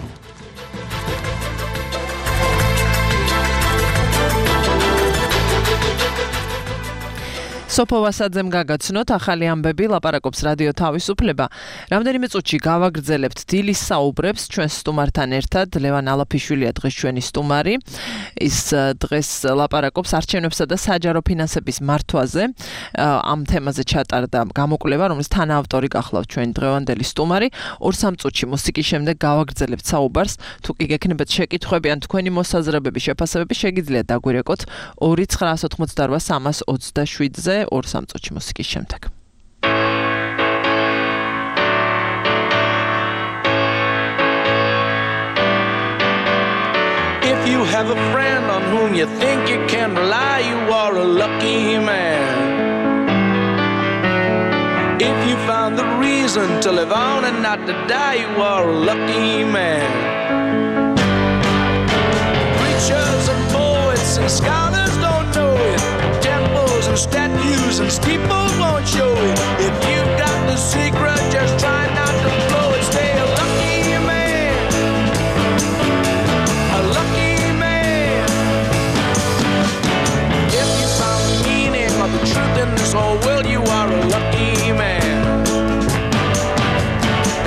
სოფო ვასაძემ გაგაცნოთ ახალი ამბები, ლაპარაკობს რადიო თავისუფლება. რამდენიმე წუთში გავაგრძელებთ დილის საუბრებს ჩვენს სტუმართან ერთად. ლევან ალაფიშვილია დღეს ჩვენი სტუმარი. ის დღეს ლაპარაკობს არჩევნებსა და საჯარო ფინანსების მართვაზე. ამ თემაზე ჩატარდა გამოკვლევა, რომლის თანაავტორი გახლავთ ჩვენი დღევანდელი სტუმარი. 2-3 წუთში მუსიკის შემდეგ გავაგრძელებთ საუბარს. თუ კი გექნებათ შეკითხვები ან თქვენი მოსაზრებები, შეფასებები, შეგიძლიათ დაგვირეკოთ 2988327-ზე 2-3 წუთში მუსიკის შემდეგ. If you have a friend on whom you think you can rely, you are a lucky man. If you found the reason to live on and not to die, you are a lucky man. Preachers and poets and scholars don't know it. Temples and statues and steeples won't show it. If you've got the secret, just try not to blow it. Stay a lucky man. A lucky man. If you found the meaning of the truth in this whole world, you are a lucky man.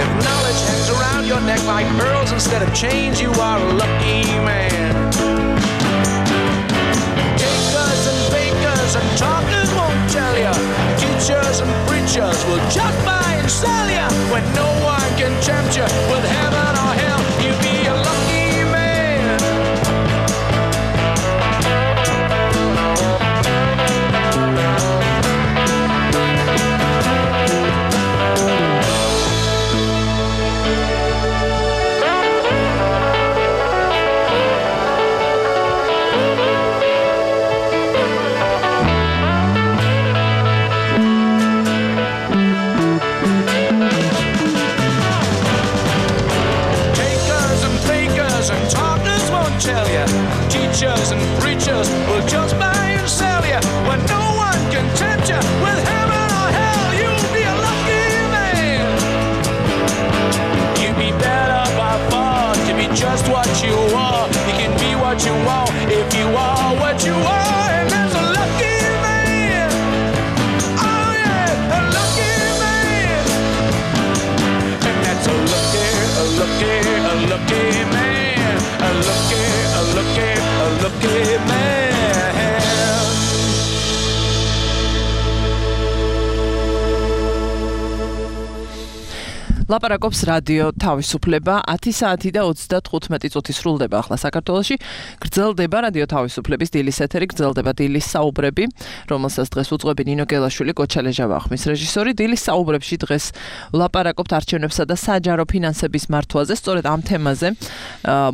If knowledge hangs around your neck like pearls instead of chains, you are a lucky man. Takers and bakers and talkers won't tell you. Teachers and preachers will just buy and sell you. When no one can tempt you with heaven or hell, you be a lucky man. ლაპარაკობს რადიო თავისუფლება 10 საათი და 35 წუთი სრულდება ახლა საქართველოში. გრძელდება რადიო თავისუფლების დილის ეთერი, გრძელდება დილის საუბრები, რომელსაც დღეს უძღვები ნინო გელაშვილი, გოჩა ლეჟავახმის რეჟისორი. დილის საუბრებში დღეს ვლაპარაკობთ არჩევნებსა და საჯარო ფინანსების მართვაზე. სწორედ ამ თემაზე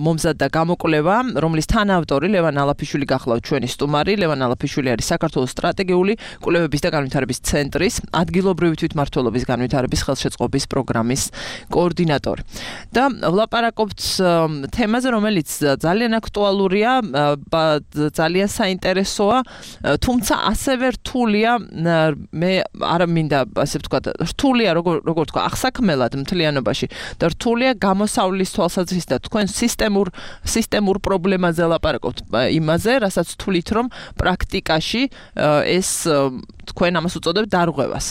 მომზადდა გამოკვლევა, რომლის თანაავტორი ლევან ალაფიშვილი გახლავთ ჩვენი სტუმარი. ლევან ალაფიშვილი არის საქართველოს სტრატეგიული კვლევების და განვითარების ცენტრის ადგილობრივი თვითმმართველობის განვითარების ხელშეწყობის პროგრამის კოორდინატორი. და ვლაპარაკობთ თემაზე, რომელიც ძალიან აქტუალურია, ძალიან საინტერესოა, თუმცა ასევე რთულია, მე არ მინდა ასე ვთქვა, რთულია როგორ თქვა, აღსაქმელად მთლიანობაში და რთულია გამოსავლის თვალსაზრისით და თქვენ სისტემურ პრობლემაზე ლაპარაკობთ, იმაზე, რასაც თვლით, რომ პრაქტიკაში ეს თქვენ ამას უწოდებთ დარღვევას.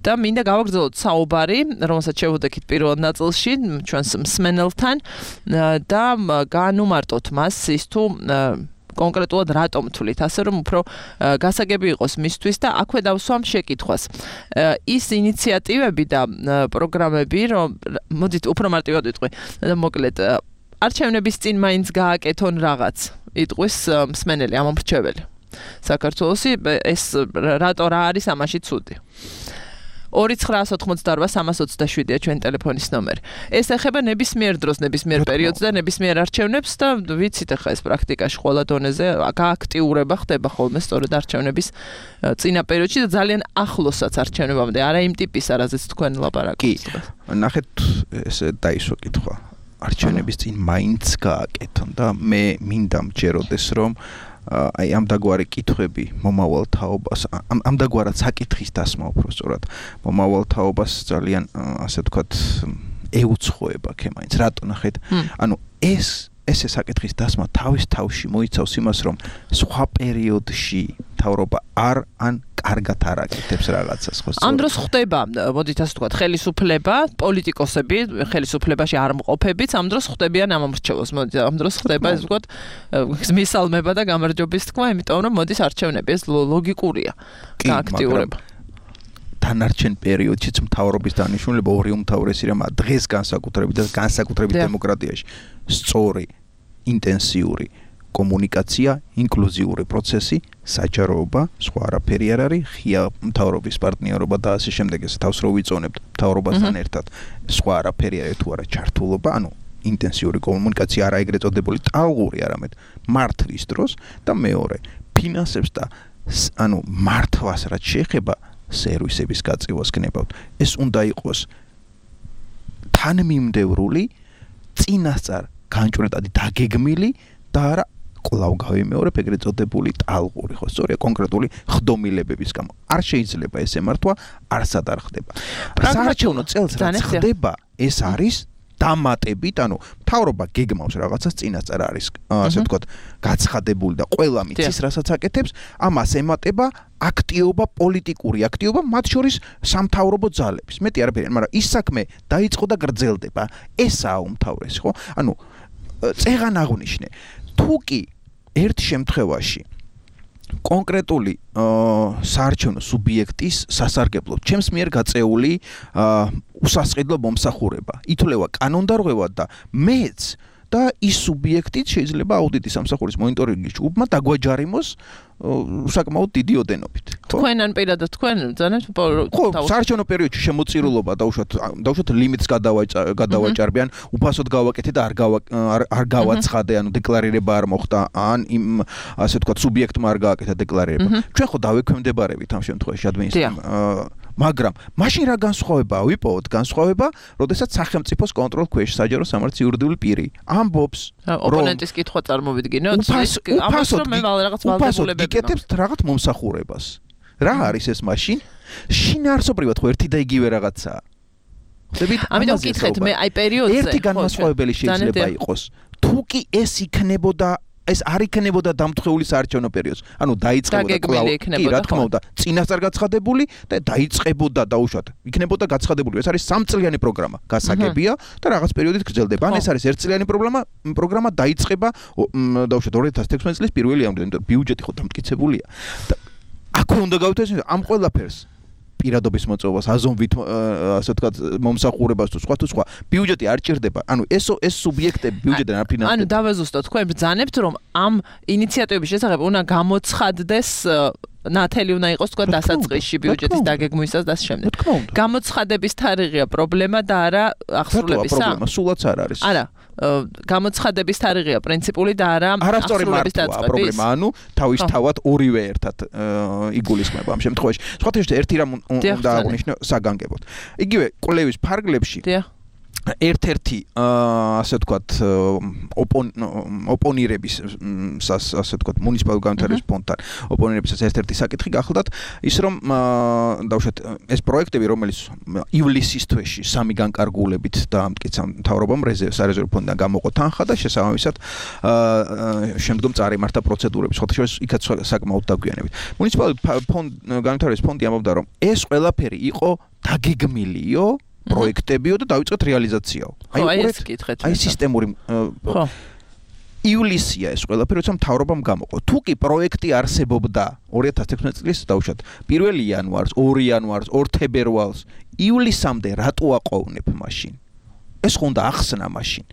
და მინდა გავაგრძელოთ საუბარი, რომელსაც შევუდექით პირველ ნაწილში ჩვენს მსმენელთან და განუმარტოთ მას ის თუ კონკრეტულად რატომ თვლით, ასე რომ უფრო გასაგები იყოს მისთვის და აქვე დავსვამ შეკითხვას. ის ინიციატივები და პროგრამები, რომ მოდით უფრო მარტივად ვიტყვი და მოკლედ არჩევნების წინ მაინც გააკეთონ რაღაც, იტყვის მსმენელი, ამომრჩეველი. საქართველოსი ეს რატო რა არის ამაში ცუდი? 2988327-ია ჩვენი ტელეფონის ნომერი. ეს ეხება ნებისმიერ დროს, ნებისმიერ პერიოდს და ნებისმიერ არჩევნებს და ვიცით ახლა ეს პრაქტიკაში ყველა დონეზე გააქტიურება ხდება ხოლმე სწორედ არჩევნების წინა პერიოდში და ძალიან ახლოსაც არჩევნებამდე. არა იმ ტიპის, არაზეც თქვენ ლაპარაკობთ. ნახეთ, ესე დაისვა კითხვა. არჩევნების წინ მაინც გააკეთონ და მე მინდა მჯეროდეს რომ აი ამ დაგვარი კითხვები მომავალ თაობას ამ დაგვარად საკითხის დასმა უფრო სწორად მომავალ თაობას ძალიან ასე ვთქვათ ეუცხოება ქემაინც რატო ნახეთ ანუ ესე საკითხის დასმა თავის თავში მოიცავს იმას რომ სხვა პერიოდში თავრობა ან კარგად არ აკეთებს რაღაცას ხო ამ დროს ხდება მოდით ასე ვთქვათ ხელისუფლება პოლიტიკოსები ხელისუფლებაში არ მყოფებიც ამ დროს ხდებიან ამომრჩევლს მოდით ამ დროს ხდება ასე ვთქვათ მისალმება და გამარჯვების თქვა იმიტომ რომ მოდის არჩევნები ეს ლოგიკურია გააქტიურება დანარჩენ პერიოდშიც მთავრობის დანიშნულება ორი უმთავრესი რამაა დღეს განსაკუთრებით დემოკრატიაში სწორი ინტენსიური კომუნიკაცია, ინკლუზიური პროცესი, საჯაროობა, სხვა არაფერი არ არის, ღია მთავრობის პარტნიორობა და ასე შემდეგ ეს თავს რო ვიწონებთ მთავრობასთან ერთად, სხვა არაფერი არის თუ არა ჩართულობა, ანუ ინტენსიური კომუნიკაცია არა ეგრეთ წოდებული ტალღური, არამედ მართვის დროს და მეორე, ფინანსებს და ანუ მართვას რაც შეეხება სერვისების გაწევას გნებავთ. ეს უნდა იყოს თანმიმდევრული, წინასწარ განჭვრეტადი დაგეგმილი და არა კვლავ გავიმეორებ ეგრეთ წოდებული ტალღური ხო სწორია კონკრეტული ხდომილებების გამო არ შეიძლება ეს ემართვა არსად არ ხდება საარჩევნო წელს რაც ხდება ეს არის დამატებით ანუ მთავრობა გეგმავს რაღაცას წინასწარ არის ასე ვთქვათ გაცხადებული და ყველა მიცის რასაც აკეთებს ამას ემატება აქტიობა პოლიტიკური აქტიობა მათ შორის სამთავრობო ძალების მეტი არაფერი მაგრამ ის საქმე დაიწყო და გრძელდება ესაა უმთავრესი ხო ანუ წეღან აღნიშნე თუ კი ერთ შემთხვევაში კონკრეტული საარჩევნო სუბიექტის სასარგებლოდ ჩემს მიერ გაწეული უსასყიდლო მომსახურება ითვლება კანონდარღვევად და მეც და ის სუბიექტიც შეიძლება აუდიტის სამსახურის მონიტორინგის ჯგუფმა დაგვაჯარიმოს საკმაოდ დიდი ოდენობით თქვენან პირადად თქვენ ძანეთ ხო საარჩევნო პერიოდში შემოწირულობა დაუშვათ ლიმიტს გადავაჭარბიან უფასოდ გავაკეთე და არ გავაცხადე ანუ დეკლარირება არ მოხდა ან იმ ასე ვთქვათ სუბიექტმა არ გააკეთა დეკლარირება ჩვენ ხო დავექვემდებარებით ამ შემთხვევაში ადმინისტრაციამ მაგრამ მაშინ რა განსხვავებაა ვიპოვოთ განსხვავება როდესაც სახელმწიფოს კონტროლ ქვეშ საჯარო სამართლის იურიდიული პირი ამბობს ოპონენტის კითხვა წარმოვიდგინოთ უფასოდ გიკეთებს რაღაც მომსახურებას რა არის ეს მაშინ შინაარსობრივად ხო ერთი და იგივე რაღაცაა ამიტომ ვკითხეთ მე აი პერიოდზე ერთი განმასხვავებელი შეიძლება იყოს თუ კი ეს იქნებოდა ეს არ იქნებოდა დამთხეული საარჩევნო პერიოდს. ანუ დაიწყებოდა კვლავ კი რა თქმა უნდა, წინასწარ გაცხადებული და დაიწყებოდა დაუშვათ. იქნებოდა გაცხადებული. ეს არის 3 წლიანი პროგრამა. გასაგებია და რაღაც პერიოდით გრძელდება. ან ეს არის 1 წლიანი პროგრამა დაიწყება დაუშვათ 2016 წლის 1 ივნისამდე. ბიუჯეტი ხო დამტკიცებულია. და აქვე უნდა გავიტანოთ ამ ყველაფერს პირადობის მოწვევას, აზომვით ასე ვთქვათ მომსახურებას თუ სხვა ბიუჯეტი არ ჭირდება. ანუ ეს სუბიექტები ბიუჯეტიდან არ ფინანსდება. ანუ დავაზუსტოთ, თქვენ ბრძანებთ, რომ ამ ინიციატივების შესახებ უნდა გამოცხადდეს ნათელი უნდა იყოს თქვა დასაწყისში ბიუჯეტის დაგეგმვისას და შემდეგ. გამოცხადების თარიღია პრობლემა და არა აღსრულებისა? პრობლემა სულაც არ არის. არა, გამოცხადების თარიღია პრინციპული და არა აღსრულების დაწყების პრობლემა. ანუ თავისთავად ორივე ერთად იგულისხმება ამ შემთხვევაში. სხვათა შორის ერთი რამ უნდა აღნიშნო საგანგებოდ. იგივე კვლევის ფარგლებში ერთ-ერთი ასე ვთქვათ ოპონირების ასე ვთქვათ მუნიციპალურ განვითარების ფონდთან ოპონირებისას ერთ-ერთი საკითხი გახლდათ ის რომ დავუშვათ ეს პროექტები რომელიც ივლისის თვეში სამი განკარგულებით დაამტკიცა მთავრობამ სარეზერვო ფონდიდან გამოყო თანხა და შესაბამისად შემდგომ წარიმართა პროცედურები სხვათა შორის იქაც საკმაოდ დაგვიანებით მუნიციპალური განვითარების ფონდი ამბობდა რომ ეს ყველაფერი იყო დაგეგმილიო პროექტებიო და დაიწყეთ რეალიზაციაო. აი სისტემური ივლისია ეს ყველაფერი, როცა მთავრობამ გამოყო. თუ კი პროექტი არსებობდა 2016 წლის დავუშვათ 1 იანვარს, 2 იანვარს, 2 თებერვალს, ივლისამდე რატო აყოვნებ მაშინ? ეს ხო უნდა ახსნა მაშინ.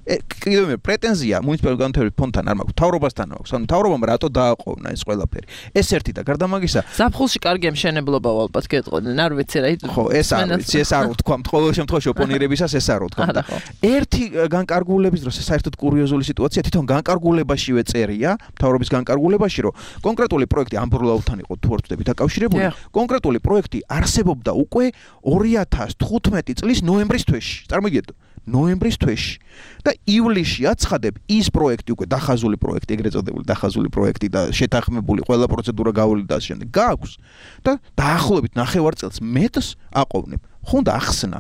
კიდევ მე პრეტენზია მუნიციპალურ განვითარების ფონდთან არ მაქვს, მთავრობასთან აქვს. ანუ მთავრობამ რატო დააყოვნა ეს ყველაფერი? ეს ერთი და გარდა მაგისა, ზაფხულში კარგი მშენებლობა ალბათ გეტყოდნენ, არ ვიცი რა. ხო, ეს არ ვიცი, ეს არ ვთქვამთ, ყოველ შემთხვევაში ოპონირებისას ეს არ ვთქვამთ. ერთი განკარგულების დროს საერთოდ კურიოზული სიტუაცია, თვითონ განკარგულებაშივე წერია, მთავრობის განკარგულებაში, რომ კონკრეტული პროექტი ამბროლაულთან იყო თუ არ ვწდები დაკავშირებული, კონკრეტული პროექტი არსებობდა უკვე 2015 წლის ნოემბრის თვეში. წარმოგიდგენთ? ნოემბრის თვეში და ივლისში აცხადებ ის პროექტი უკვე დახაზული პროექტი ეგრეთ წოდებული დახაზული პროექტი და შეთანხმებული ყველა პროცედურა გავული და შემდეგ გააქვს და დაახლოებით ნახევარ წელს მეტს აყოვნებ ხო უნდა ახსნა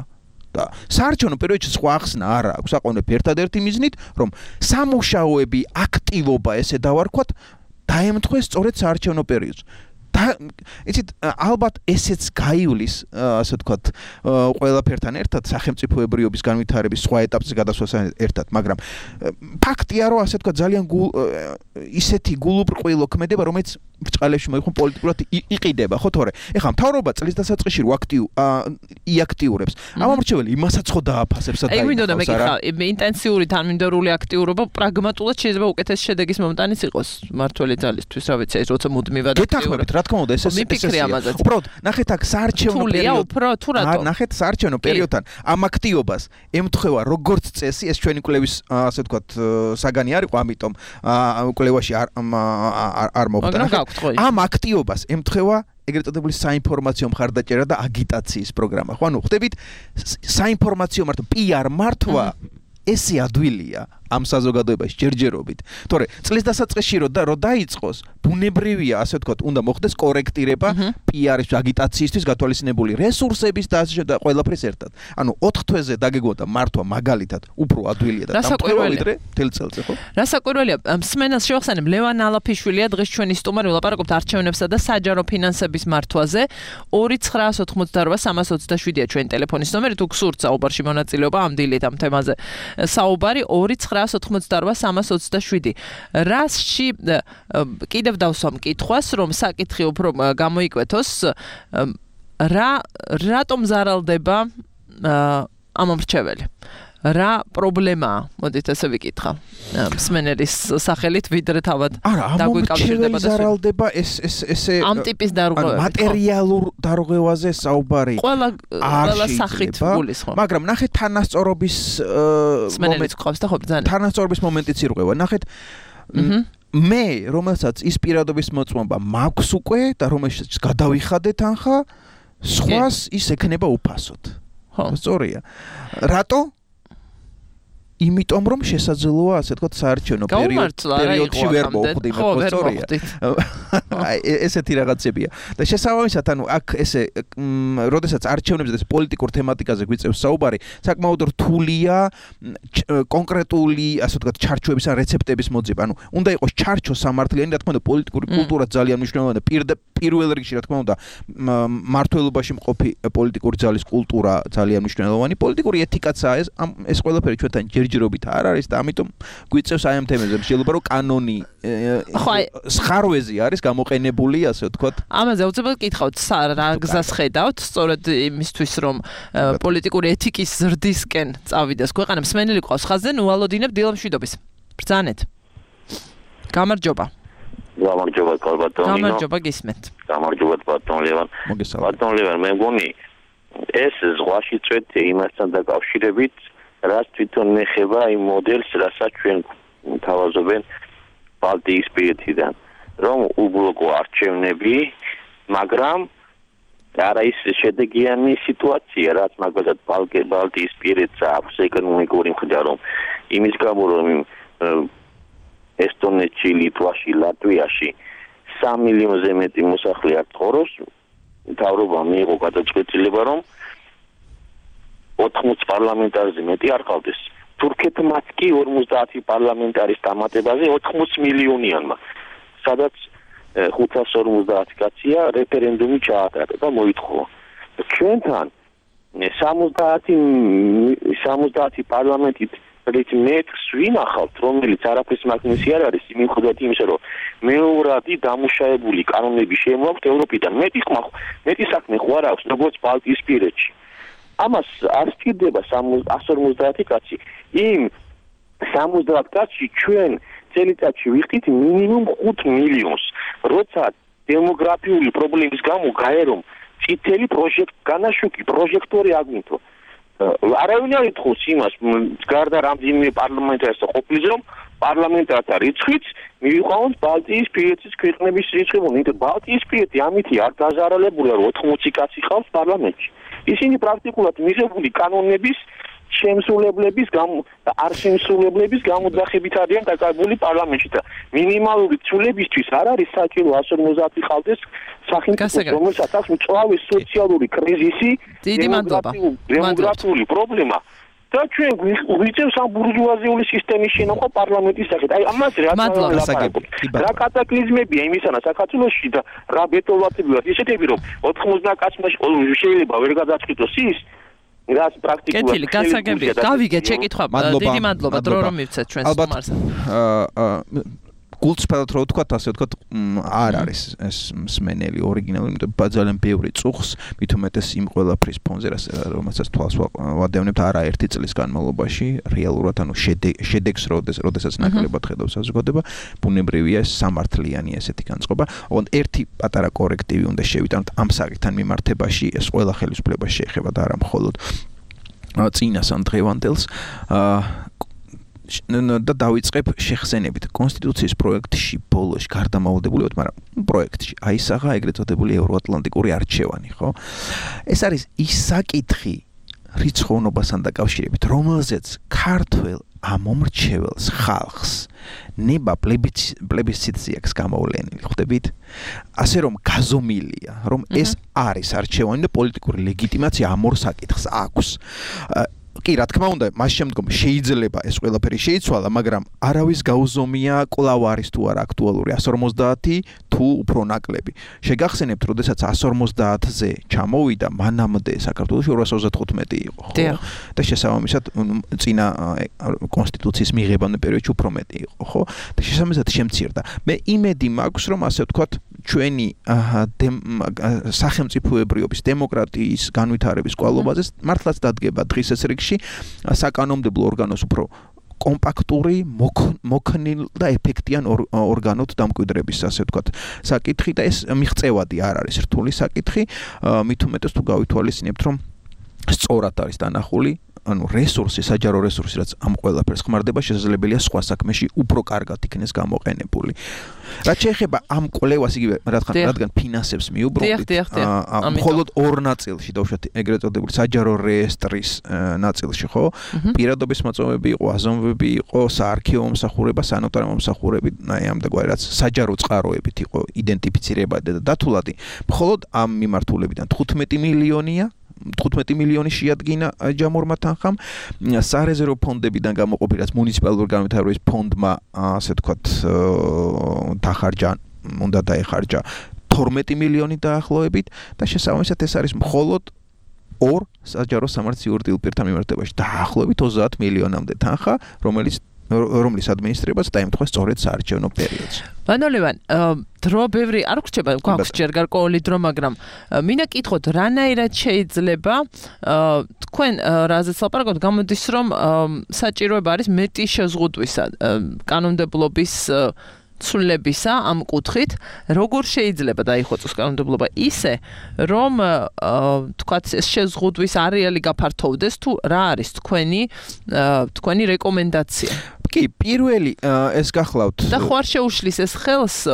და საარჩევნო პერიოდში სხვა ახსნა არ აქვს აყოვნებ ერთადერთი მიზნით რომ სამუშაოები აქტივობა ესე დავარქვათ დაემთხვეს სწორედ საარჩევნო პერიოდს იცით ალბათ ესეც გაივლის ასე ვთქვათ ყველაფერთან ერთად სახელმწიფოებრიობის განვითარების სხვა ეტაპზე გადასვლასთან ერთად მაგრამ ფაქტია რომ ასე ვთქვათ ძალიან ისეთი გულუბრყვილო ქმედება რომელიც ბრწყალებში მოიხმო პოლიტიკურად იყიდება ხო თორე ეხლა მთავრობა წლის დასაწყისში რო იაქტიურებს ამ ამრჩეველი იმასაც ხო დააფასებს და აი მინდოდა მეკითხა ინტენსიური თანმიმდევრული აქტიურობა პრაგმატულად შეიძლება უკეთეს შედეგის მომტანის იყოს მართველი ძალისთვის რა ვიცი ეს როცა მუდმივად გეთანხმებით რა თქმა უნდა ეს უბრალოდ ნახეთ აქ საარჩევნო პერიოდთან ნახეთ საარჩევნო პერიოდთან ამ აქტიობას ემთხვევა როგორც წესი ეს ჩვენი კვლევის ასე ვთქვათ საგანი არ იყო ამიტომ კვლევაში არ მოხდა ამ აქტიობას ემთხვევა ეგრეთ წოდებული საინფორმაციო მხარდაჭერა და აგიტაციის პროგრამა ხო ანუ ხვდებით საინფორმაციო მართვა PR მართვა ესე ადვილია ამ საზოგადოებაში ჯერჯერობით. თორე წლის დასაწყისში რო დაიწყოს, ბუნებრივია, ასე ვთქვათ, უნდა მოხდეს კორექტირება PR-ის აგიტაციისთვის გათვალისწინებული რესურსების და ყველაფრის ერთად. ანუ 4 თვეზე დაგეგმოდა მართვა მაგალითად უფრო ადვილია და დამტყევა ვიდრე თელ წელზე, ხო? რასაკვირველია, მსმენელს შევახსენებ ლევან ალაფიშვილია დღეს ჩვენი სტუმარი ვილაპარაკობთ არჩევნებსა და საჯარო ფინანსების მართვაზე 2988327-ია ჩვენი ტელეფონის ნომერი თუ გსურთ საუბარში მონაწილეობა ამ დილით ამ თემაზე საუბარი 2988327 რასში კიდევ დავსვამ კითხვას რომ საკითხი უფრო გამოიკვეთოს რატომ ზარალდება ამ ამრჩეველი რა პრობლემაა მოდით ესე ვიკითხა მსმენელის სახელით ვიდრე თავად დაგვიკავშირდება და ზარალდება ესე ამ ტიპის დარღვევები მატერიალურ დარღვევაზე საუბარი ყველა სახით გულისხმობ მაგრამ ნახეთ თანასწორობის მსმენელის ყავს და ხო ბრძანა თანასწორობის მომენტიც ირღვევა ნახეთ მე რომელსაც ის პირადობის მოწმობა მაქვს უკვე და რომელსაც გადავიხადე თანხა სხვას ის ექნება უფასოდ ხო სწორია რატო იმიტომ რომ შესაძლოა ასე ვთქვათ საარჩევნო პერიოდში ვერ მოხვდი მე სწორია ესეთი რაღაცებია და შესაბამისად ანუ აქ ესე როდესაც არჩევნებზე პოლიტიკურ თემატიკაზე გვიწევს საუბარი საკმაოდ რთულია კონკრეტული ასე ვთქვათ ჩარჩოების ან რეცეპტების მოძიება ანუ უნდა იყოს ჩარჩო სამართლიანი რა თქმა უნდა პოლიტიკური კულტურა ძალიან მნიშვნელოვანია პირველ რიგში რა თქმა უნდა მართლობაში მყოფი პოლიტიკური ძალის კულტურა ძალიან მნიშვნელოვანი პოლიტიკური ეთიკაცაა ეს ყველაფერი ჩვენთან ჯერჯერობით არ არის და ამიტომ გვიწევს აი ამ თემებზე შეიძლება რომ კანონი სხარვეზე არის გამოყენებული ასე ვთქვათ. ამაზე უცებად გითხავთ რა გზას ხედავთ სწორედ იმისთვის რომ პოლიტიკური ეთიკის ზრდისკენ წავიდეს ქვეყანა მსმენელი ყავს ხაზზე ნუალოდინებ დილამშვიდობის ბრძანეთ გამარჯობა გამარჯობა კალბატონი გამარჯობა გისმენთ გამარჯობა ბატონ ლევან ბატონ ლევან მე მგონი ეს ზღვაში წვეთი იმასთან დაკავშირებით რაც თვითონ ეხება იმ მოდელს რასაც ჩვენ თავაზობენ ბალტიისპირეთიდან რომ უბლოკო არჩევნები მაგრამ არა ის შედეგიანი სიტუაცია რაც მაგალითად ბალტიისპირეთს აქვს ეკონომიკური მხრიდან რომ იმის გამო რომ ესტონეთში, ლიტვაში, ლატვიაში 3 მილიონზე მეტი მოსახლე არ ცხოვრობს, მთავრობა მიიღო გადაწყვეტილება, რომ 80 პარლამენტარზე მეტი არ ყავდეს. თურქეთმაც კი 50 პარლამენტარის დამატებაზე 80 მილიონიანმა, სადაც 550 კაცია რეფერენდუმი ჩაატარა და მოითხოვა. ჩვენთან 70 პარლამენტით რით მეტს ვინახავთ, რომელიც არაფრის მაგნისი არ არის, მიუხედავად იმისა, რომ მეორადი დამუშავებული კანონები შემოაქვთ ევროპიდან. მეტი საქმე ხო არ აქვს, როგორც ბალტიისპირეთში. ამას არ სჭირდება 150 კაცი. იმ 70 კაცში ჩვენ წელიწადში ვიხდით მინიმუმ 5 მილიონს. როცა დემოგრაფიული პრობლემის გამო გაერომ წითელი განაშუქი პროჟექტორი აგვინთო. არავინ არ ითხოვს იმას, გარდა რამდენიმე პარლამენტარისა ყოფილის რომ პარლამენტართა რიცხვიც მივიყვანოთ ბალტიისპირეთის ქვეყნების რიცხვი, იმიტომ ბალტიისპირეთი ამითი არ დაზარალებულია, რომ 80 კაცი ყავს პარლამენტში. ისინი პრაქტიკულად მიღებული კანონების შემსრულებლების არ შემსრულებლების გამოძახებით არიან დაკავებული პარლამენტში და მინიმალური ცვლილებისთვის არ არის საჭირო 150 ყავდეს სახელმწიფო, რომელსაც აქვს მწვავე სოციალური კრიზისი, დემოგრაფიული პრობლემა და ჩვენ გვიწევს ამ ბურჟუაზიული სისტემის შენახვა პარლამენტის სახით. აი ამას რა კატაკლიზმებია იმისანა საქართველოში და რა ბეტონვარდებია ისეთები რომ 90 კაცმა შეიძლება ვერ გადაწყვიტოს ის რაც პრაქტიკულად კეთილი გასაგებია გავიგეთ შეკითხვა დიდი მადლობა დრო რომ მივცეთ ჩვენს სტუმარს გულწრფელად რო ვთქვათ ასე ვთქვათ არ არის ეს მსმენელი ორიგინალური იმიტომ ძალიან ბევრი წუხს მით უმეტეს იმ ყველაფრის ფონზე რომელსაც თვალს ვადევნებთ არაერთი წლის განმავლობაში რეალურად ანუ შედეგს როდესაც ნაკლებად ხედავს საზოგადოება ბუნებრივია ეს სამართლიანი ესეთი განწყობა ოღონდ ერთი პატარა კორექტივი უნდა შევიტანოთ ამ საკითხთან მიმართებაში ეს ყველა ხელისუფლებას შეეხება და არა მხოლოდ წინას ან დღევანდელს და დავიწყებ შეხსენებით კონსტიტუციის პროექტში ბოლოში გარდამავალდებულიოდ, მაგრამ პროექტში აისაღა ეგრეთ წოდებული ევროატლანტიკური არჩევანი, ხო? ეს არის ის საკითხი რიცხოვნობასთან დაკავშირებით, რომელზეც ქართველ ამომრჩეველს ხალხს ნება პლებისციტზე აქვს გამოვლენილი, ხვდებით? ასე რომ გაზომილია, რომ ეს არის არჩევანი და პოლიტიკური ლეგიტიმაცია ამ ორ საკითხს აქვს. კი, რა თქმა უნდა, მას შემდგომ შეიძლება ეს ყველაფერი შეიცვალა, მაგრამ არავის გაუზომია კვლავ არის თუ არა აქტუალური 150 თუ უფრო ნაკლები. შეგახსენებთ, როდესაც 150-ზე ჩამოვიდა, მანამდე საქართველოში 235 იყო, ხო? და შესაბამისად წინა კონსტიტუციის მიღებამდე პერიოდში უფრო მეტი იყო, ხო? და შესაბამისად შემცირდა. მე იმედი მაქვს, რომ ასე ვთქვათ, ჩვენი სახელმწიფოებრიობის დემოკრატიის განვითარების კვალობაზე მართლაც დადგება დღის ეს რიგში საკანონმდებლო ორგანოს უფრო კომპაქტური, მოქნილ და ეფექტიან ორგანოთ დამკვიდრების ასე ვთქვათ საკითხი და ეს მიღწევადი არ არის რთული საკითხი, მით უმეტეს თუ გავითვალისწინებთ, რომ სწორად არის დანახული ანუ რესურსი, საჯარო რესურსი, რაც ამ ყველაფერს ხმარდება, შესაძლებელია სხვა საქმეში უფრო კარგად იქნეს გამოყენებული. რაც შეეხება ამ კვლევას იგივე რადგან ფინანსებს მიუბრუნდით, მხოლოდ ორ ნაწილში დავუშვათ ეგრეთ წოდებული საჯარო რეესტრის ნაწილში, ხო? პირადობის მოწვევები იყო, აზომვები იყო, საარქივო მომსახურება, სანოტარო მომსახურები, აი ამდაგვარი რაც საჯარო წყაროებით იყო იდენტიფიცირებადი და დათულადი. მხოლოდ ამ მიმართულებიდან 15 მილიონი შეადგინა ჯამორმა თანხამ სარეზერვო ფონდებიდან გამოყოფილი რაც მუნიციპალური განვითარების ფონდმა ასე ვთქვათ დახარჯა უნდა დაეხარჯა 12 მილიონი დაახლოებით და შესაბამისად ეს არის მხოლოდ ორ საჯარო სამართლიური პირთან მიმართებაში დაახლოებით 30 მილიონამდე თანხა, რომლის ადმინისტრირებას დაემთხვა სწორედ საარჩევნო პერიოდში. ბანოლევან, დრო ბევრი არ გრჩება, გვაქვს ჯერ გარკვეული დრო, მაგრამ მინდა კითხოთ, რანაირად შეიძლება თქვენ რაზეც ლაპარაკობთ, გამოდის რომ საჭიროება არის მეტი შეზღუდვისა კანონმდებლობის ცვლილებისა ამ კუთხით, როგორ შეიძლება დაიხოცოს კანონმდებლობა ისე, რომ თქვათ ეს შეზღუდვის არეალი გაფართოვდეს, თუ რა არის თქვენი რეკომენდაცია? კი, პირველი ეს გახლავთ და ხო არ შეუშლის ეს ხელს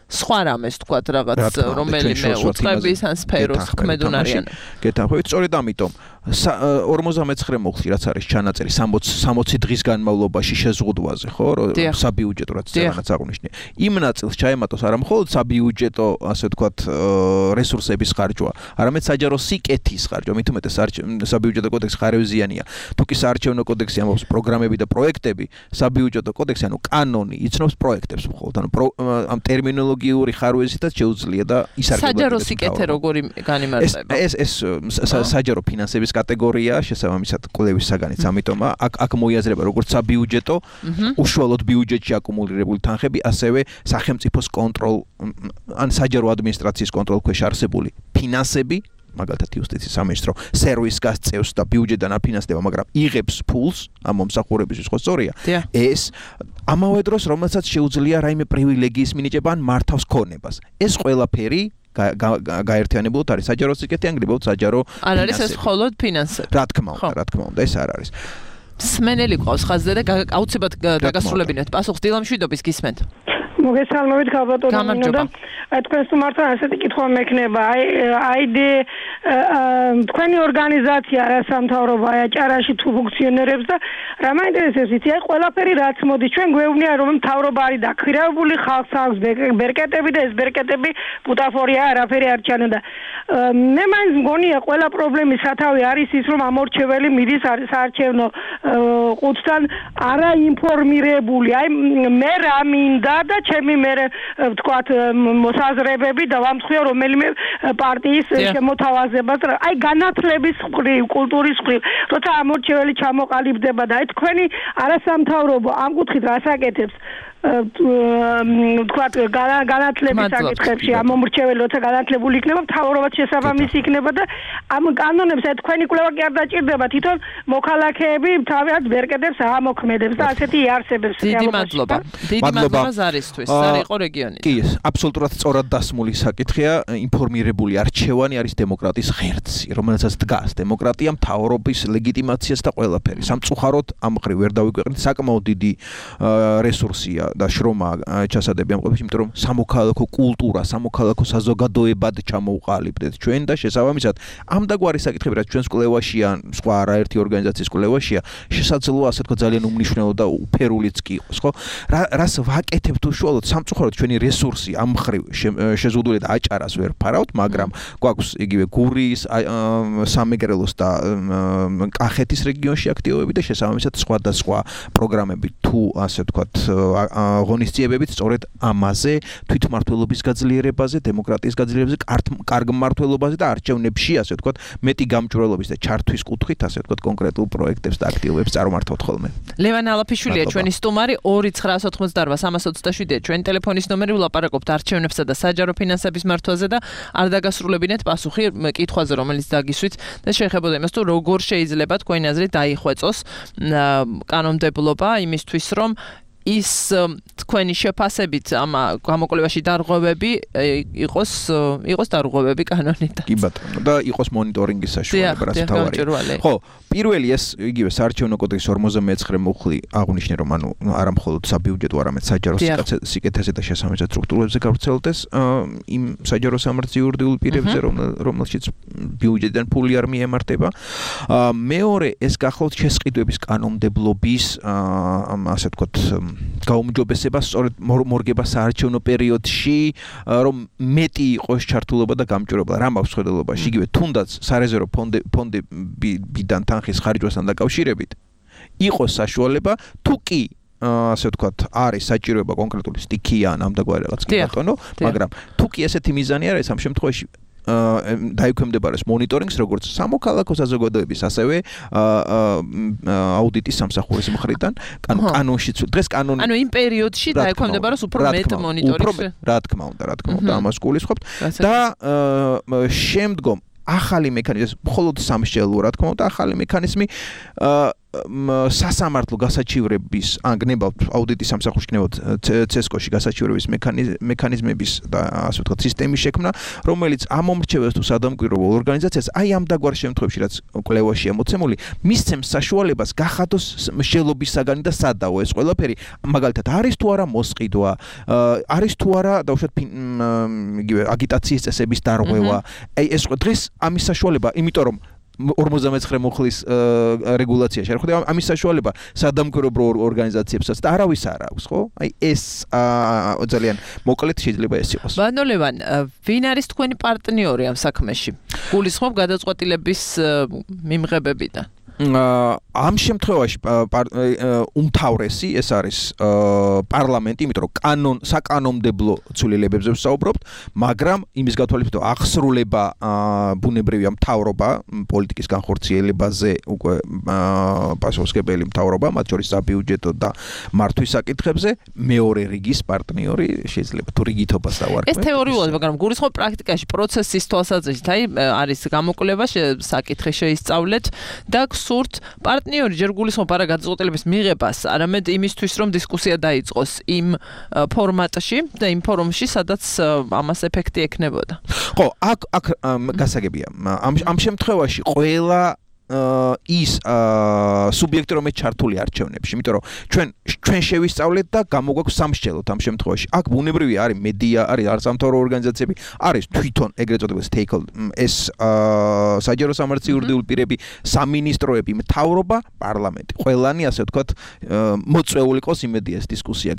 სხვა რამეს თქვათ რაღაც რომელიმე უწყების ან სფეროს ქმედუნარიან. გეთანხმებით, სწორედ ამიტომ 59 მოხდი რაც არის ჩანაწერი 60 დღის განმავლობაში შეზღუდვაზე, ხო, საბიუჯეტო რაც ზეგანაც აღნიშნე. იმ ნაწილს ჩაემატოს არა მხოლოდ საბიუჯეტო, ასე ვთქვათ, რესურსების ხარჯვა, არამედ საჯარო სიკეთის ხარჯვა, მით უმეტეს საბიუჯეტო კოდექსი ხარევზიანია. თუ კი საარჩევნო კოდექსი ამბობს პროგრამები და პროექტები, საბიუჯეტო კოდექსი, ანუ კანონი იცნობს პროექტებს მხოლოდ, ანუ ამ ტერმინოლოგიური ხარვეზითაც შეუძლია და ისარგებლა. საჯარო სიკეთე როგორი განიმარტება? ეს საჯარო ფინანსების კატეგორია შესაბამისად კვლევის საგანიც, ამიტომ აქ მოიაზრება როგორც საბიუჯეტო, უშუალოდ ბიუჯეტში აკუმულირებული თანხები, ასევე სახელმწიფოს კონტროლ ან საჯარო ადმინისტრაციის კონტროლ ქვეშ არსებული ფინანსები, მაგალითად იუსტიციის სამინისტრო სერვისს გასწევს და ბიუჯეტიდან აფინანსდება, მაგრამ იღებს ფულს ამ მომსახურებისთვის, ხო სწორია? ეს ამავე დროს, რომელსაც შეუძლია რაიმე პრივილეგიის მინიჭება ან მართავს ქონებას. ეს ყველაფერი გაერთიანებულად არის საჯარო სიკეთე, ანგრებოდ საჯარო არ არის ეს მხოლოდ ფინანსები. რა თქმა უნდა, ეს არ არის. სმენელი ყავს ხაზზე და აუცილებლად დაგასრულებინეთ. პასუხს დილამშვიდობის გისმენთ. მოგესალმებით ქალბატონო და თქვენს თუ მართლა ასეთი კითხვა მექნება, თქვენი ორგანიზაცია რა სამთავრობო აჭარაში თუ ფუნქციონერებს და რა მაინტერესებს იცი, ყველაფერი რაც მოდის ჩვენ გვეუბნია რომ მთავრობა არის დაქვირავებული, ხალხს აქვს ბერკეტები და ეს ბერკეტები ბუტაფორია, არაფერი არ ჩანო და მე მაინც მგონია ყველა პრობლემის სათავე არის ის რომ ამორჩეველი მიდის საარჩევნო ყუთთან არაინფორმირებული, მე რა მინდა და ჩემი მე ვთქვათ მოსაზრებები და ვამსხვია რომელიმე პარტიის შემოთავაზებას, განათლების მხრივ, კულტურის მხრივ, როცა ამორჩეველი ჩამოყალიბდება და თქვენი არასამთავრობო ამ კუთხით რასაკეთებს ვთქვათ განათლების საკითხებში ამომრჩეველი როცა განათლებული იქნება, მთავრობაც შესაბამისი იქნება და ამ კანონებს თქვენი კვლევა კი არ დაჭირდება, თვითონ მოქალაქეები თავიანთ ბერკეტებს ამოქმედებს და ასეთი იარსებებს. დიდი მადლობა. დიდი მადლობა ზარისთვის. ზარი იყო რეგიონი. კი, აბსოლუტურად სწორად დასმული საკითხია, ინფორმირებული არჩევანი არის დემოკრატიის ღერძი, რომელსაც დგას დემოკრატია, მთავრობის ლეგიტიმაციას და ყველაფერი. სამწუხაროდ ამ მხრივ ვერ დავიგვეყრით, საკმაოდ დიდი რესურსია და შრომა ჩასადები ამ ყველაფერში, იმიტომ რომ სამოქალაქო კულტურა, სამოქალაქო საზოგადოებად ჩამოვყალიბდეთ ჩვენ და შესაბამისად ამ დაგვარი საკითხები, რაც ჩვენს კვლევაშია, სხვა არაერთი ორგანიზაციის კვლევაშია, შესაძლოა ასე თქვა ძალიან უმნიშვნელო და უფერულიც კი იყოს, ხო? რას ვაკეთებთ უშუალოდ, სამწუხაროდ ჩვენი რესურსი ამ მხრივ შეზღუდული და აჭარას ვერ ფარავთ, მაგრამ გვაქვს იგივე გურიის, სამეგრელოს და კახეთის რეგიონში აქტივობები და შესაბამისად სხვადასხვა პროგრამები თუ ასე ვთქვათ ღონისძიებებით სწორედ ამაზე, თვითმმართველობის გაძლიერებაზე, დემოკრატიის გაძლიერებაზე, კარგ მმართველობაზე და არჩევნებში, ასე ვთქვათ, მეტი გამჭვირვალობის და ჩართვის კუთხით, ასე ვთქვათ, კონკრეტულ პროექტებს და აქტივობებს წარმართავთ ხოლმე. ლევან ალაფიშვილია ჩვენი სტუმარი, 2988-327-ია ჩვენი ტელეფონის ნომერი, ვლაპარაკობთ არჩევნებსა და საჯარო ფინანსების მართვაზე და არ დაგასრულებინეთ პასუხი კითხვაზე, რომელიც დაგისვით და შეეხებოდა იმას, თუ როგორ შეიძლება თქვენი აზრით დაიხვეწოს კანონმდებლობა იმისთვის, რომ ის თქვენი შეფასებით ამ გამოკვლევაში დარღვევები იყოს დარღვევები კანონით. კი ბატონო, და იყოს მონიტორინგის საშუალება, რაც თავარია. ხო, პირველი ეს იგივე საარჩევნო კოდექსის 59 მუხლი აღნიშნე, რომ ანუ არა მხოლოდ საბიუჯეტო, არამედ საჯარო სიკეთეზე და შესაბამისად სტრუქტურებზე გავრცელდეს იმ საჯარო სამართლის იურიდიულ პირებზე, რომელშიც ბიუჯეტიდან ფული არ მიემართება. მეორე, ეს გახლავთ შესყიდვების კანონმდებლობის ასე ვთქვათ გაუმჯობესება სწორედ მორგება საარჩევნო პერიოდში, რომ მეტი იყოს ჩართულობა და გამჭვირვალობა რამაქვს ხედელობაში, იგივე თუნდაც სარეზერვო ფონდებიდან თანხის ხარჯვასთან დაკავშირებით იყოს საშუალება, თუ კი ასე ვთქვათ, არის საჭიროება კონკრეტული სტიქია ან ამდაგვარი რაღაც კი ბატონო, მაგრამ თუ კი ესეთი მიზანი არ არის, ამ შემთხვევაში დაიქვემდებარეს მონიტორინგს როგორც სამოქალაქო საზოგადოების, ასევე აუდიტის სამსახურის მხრიდან. კანონშიც დღეს კანონი ანუ იმ პერიოდში დაიქვემდებარეს უფრო მეტ მონიტორინგს. რა თქმა უნდა, ამას გულისხმობთ და შემდგომ ახალი მექანიზმი, მხოლოდ სამსჯელოა, რა თქმა უნდა, ახალი მექანიზმი სასამართლო გასაჩივრების, გნებავთ აუდიტის სამსახურში გნებავთ CESCO-ში გასაჩივრების მექანიზმების და ასე ვთქვათ სისტემის შექმნა, რომელიც ამომრჩეველს თუ სადამკვირვებელ ორგანიზაციას აი ამ დაგვარ შემთხვევებში, რაც კვლევაშია მოცემული, მისცემს საშუალებას გახადოს მსჯელობის საგანი და სადაო ეს ყველაფერი, მაგალითად არის თუ არა მოსყიდვა, არის თუ არა დაუშვათ იგივე აგიტაციის წესების დარღვევა, აი ეს დღეს ამის საშუალება, იმიტომ რომ 49 მუხლის რეგულაციაში არ ხდება ამის საშუალება სადამკვირვებელ ორგანიზაციებსაც და არავის არ აქვს, ხო? აი ეს ძალიან მოკლედ შეიძლება ეს იყოს. ბანო ლევან, ვინ არის თქვენი პარტნიორი ამ საქმეში? გულისხმობ გადაწყვეტილების მიმღებებიდან? ამ შემთხვევაში უმთავრესი ეს არის პარლამენტი, იმიტომ რომ საკანონმდებლო ცვლილებებზე ვსაუბრობთ, მაგრამ იმის გათვალისწინებით აღსრულება ბუნებრივია მთავრობა პოლიტიკის განხორციელებაზე უკვე პასუხისმგებელი მთავრობა, მათ შორის საბიუჯეტო და მართვის საკითხებზე, მეორე რიგის პარტნიორი შეიძლება თუ რიგითობას დავარქმევ. ეს თეორიულად, მაგრამ გულისხმობ პრაქტიკაში პროცესის თვალსაზრისით, აი არის გამოკვლევა, საკითხი შეისწავლეთ და სურთ პარტნიორი ჯერ გულისხმობ არა გადაწყვეტილების მიღებას, არამედ იმისთვის, რომ დისკუსია დაიწყოს იმ ფორმატში და იმ ფორუმში, სადაც ამას ეფექტი ექნებოდა. ხო, აქ გასაგებია. ამ შემთხვევაში ყველა ის სუბიექტი რომელიც ჩართული არჩევნებში, იმიტომ რომ ჩვენ შევისწავლეთ და გამოგვაქვს სამსჯელოთ ამ შემთხვევაში. აქ ბუნებრივია არის მედია, არის სამთავრო ორგანიზაციები, არის თვითონ ეგრეთ წოდებული stakeholder, ეს საჯარო სამართლის იურიდიული პირები, სამინისტროები, მთავრობა, პარლამენტი. ყველანი ასე ვთქვათ მოწვეული ყოს იმედია ეს დისკუსია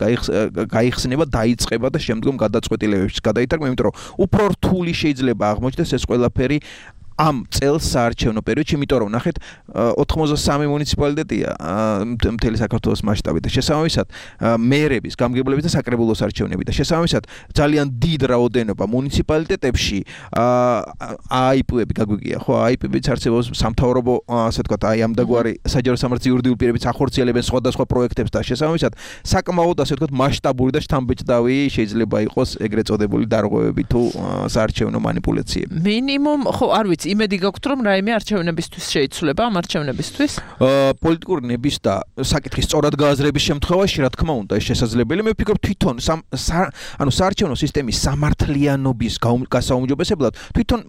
გაიხსნება, დაიწყება და შემდგომ გადაწყვეტილებებში გადაიტარგმნა, იმიტომ რომ უფრო რთული შეიძლება აღმოჩნდეს ეს ყველაფერი ამ წელს საარჩევნო პერიოდში, იმიტომ რომ ნახეთ 83 მუნიციპალიტეტია მთელი საქართველოს მასშტაბით და შესაბამისად მერების, გამგებლების და საკრებულოს არჩევნები და შესაბამისად ძალიან დიდ რაოდენობა მუნიციპალიტეტებში AIP-ები გაგვიგია, ხო, AIP-ებიც არსებობს სამთავრობო, ასე ვთქვათ, აი ამ დაგვარი საჯარო სამართლის იურიდიული პირებიც ახორციელებენ სხვადასხვა პროექტებს და შესაბამისად საკმაოდ ასე ვთქვათ მასშტაბური და შთამბეჭდავი შეიძლება იყოს ეგრეთ წოდებული დარღვევები თუ საარჩევნო манипуляციები. მინიმუმ, ხო, არ ვიცი იმედი გაქვთ რომ რაიმე არჩევნებისთვის შეიცვლება ამ არჩევნებისთვის? პოლიტიკური ნების და საკითხის სწორად გააზრების შემთხვევაში, რა თქმა უნდა, ეს შესაძლებელია. მე ვფიქრობ თვითონ ანუ საარჩევნო სისტემის სამართლიანობის გასაუმჯობესებლად თვითონ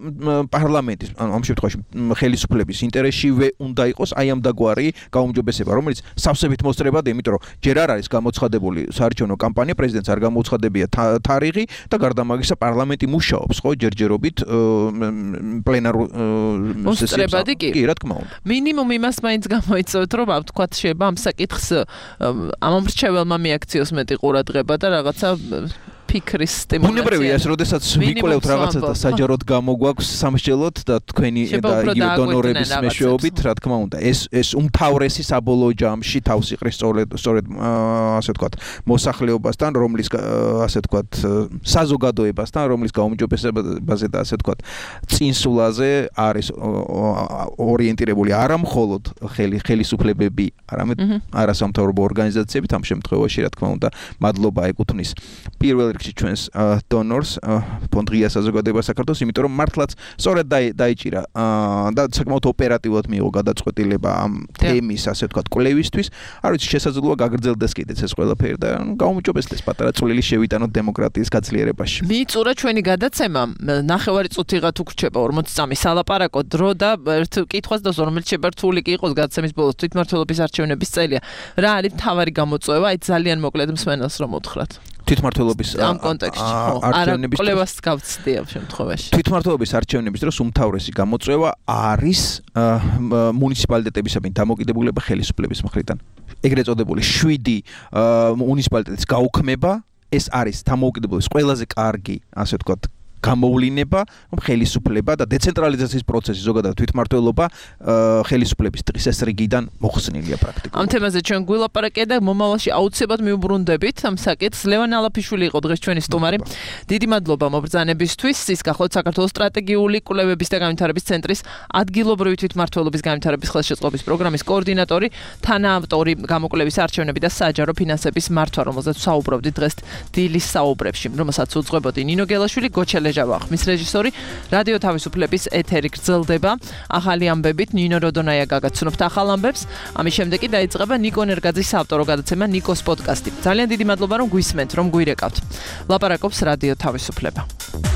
პარლამენტის ამ შემთხვევაში ხელისუფლების ინტერესშივე უნდა იყოს აი ამ დაგვარი გაუმჯობესება, რომელიც სავსებით მოსწრებად, იმიტომ რომ ჯერ არ არის გამოცხადებული საარჩევნო კამპანია, პრეზიდენტს არ გამოუცხადებია თარიღი და გარდა მაგისა პარლამენტი მუშაობს, ხო, ჯერჯერობით პლენარულ მოსწრებადი კი, რა თქმა უნდა. მინიმუმ იმას მაინც გამოიწევთ, რომ ვთქვათ, შეიძლება ამ საკითხს ამომრჩეველმა მიაქციოს მეტი ყურადღება და რაღაცა ფიქრის სტიმულაცია. ბუნებრივია ეს, როდესაც ვიკვლევთ რაღაცას და საჯაროდ გამოგვაქვს სამსჯელოთ და თქვენი და იგივე დონორების მეშვეობით, რა თქმა უნდა, ეს უმთავრესი საბოლოო ჯამში თავს იყრის სწორედ ასე ვთქვათ, მოსახლეობასთან, რომლის ასე ვთქვათ, საზოგადოებასთან, რომლის გაუმჯობესებაზე და ასე ვთქვათ, წინსულაზე არის ორიენტირებული არა მხოლოდ ხელისუფლებები, არამედ არასამთავრობო ორგანიზაციები, ამ შემთხვევაში, რა თქმა უნდა, მადლობა ეკუთვნის პირველ ჩვენს დონორს ფონდ ღია საზოგადოება საქართველოს, იმიტომ რომ მართლაც სწორედ დაიჭირა და საკმაოდ ოპერატიულად მიიღო გადაწყვეტილება ამ თემის, ასე ვთქვათ, კვლევისთვის. არ ვიცი, შესაძლოა გაგრძელდეს კიდეც ეს ყველაფერი და გაუმჯობესდეს პატარა წვლილი შევიტანოთ დემოკრატიის გაძლიერებაში. მიიწურა ჩვენი გადაცემა, ნახევარი წუთიღა თუ გრჩება 40 წამი სალაპარაკო დრო და ერთ კითხვას და რომელიც შეერთული კი იყოს გადაცემის ბოლოს თვითმმართველობის არჩევნების წელია. რა არის მთავარი გამოწვევა? აი ძალიან მოკლედ მსმენელს რომ უთხრათ. თვითმმართველობის ამ კონტექსტში არჩევნების კვლევას გავცდი ამ შემთხვევაში. თვითმმართველობის არჩევნების დროს უმთავრესი გამოწვევა არის მუნიციპალიტეტებისადმი დამოკიდებულება ხელისუფლების მხრიდან. ეგრეთ წოდებული 7 მუნიციპალიტეტის გაუქმება, ეს არის დამოუკიდებლობის ყველაზე კარგი, ასე ვთქვათ, გამოვლინება, რომ ხელისუფლება და დეცენტრალიზაციის პროცესი ზოგადად თვითმმართველობა ხელისუფლების წესრიგიდან მოხსნილია პრაქტიკულად. ამ თემაზე ჩვენ გვილაპარაკეთ და მომავალში აუცილებლად მიუბრუნდებით ამ საკითხს. ლევან ალაფიშვილი იყო დღეს ჩვენი სტუმარი. დიდი მადლობა მობრძანებისთვის. ის გახლავთ საქართველოს სტრატეგიული კვლევების და განვითარების ცენტრის ადგილობრივი თვითმმართველობის განვითარების ხელშეწყობის პროგრამის კოორდინატორი, თანაავტორი გამოკვლევის არჩევნები და საჯარო ფინანსების მართვა, რომელზეც საუბრობდით დღეს დილის საუბრებში, რომელსაც უძღვებოდი ნინო გელაშვილი, გოჩელეჟავა ხმის რეჟისორი. რადიო თავისუფლების ეთერი გრძელდება. ახალი ამბებით ნინო როდონაია გაგაცნობთ ახალ ამბებს. ამის შემდეგ კი დაიწყება ნიკო ნერგაძის საავტორო გადაცემა ნიკოს პოდკასტი. ძალიან დიდი მადლობა რომ გვისმენთ, რომ გვირეკავთ. ლაპარაკობს რადიო თავისუფლება.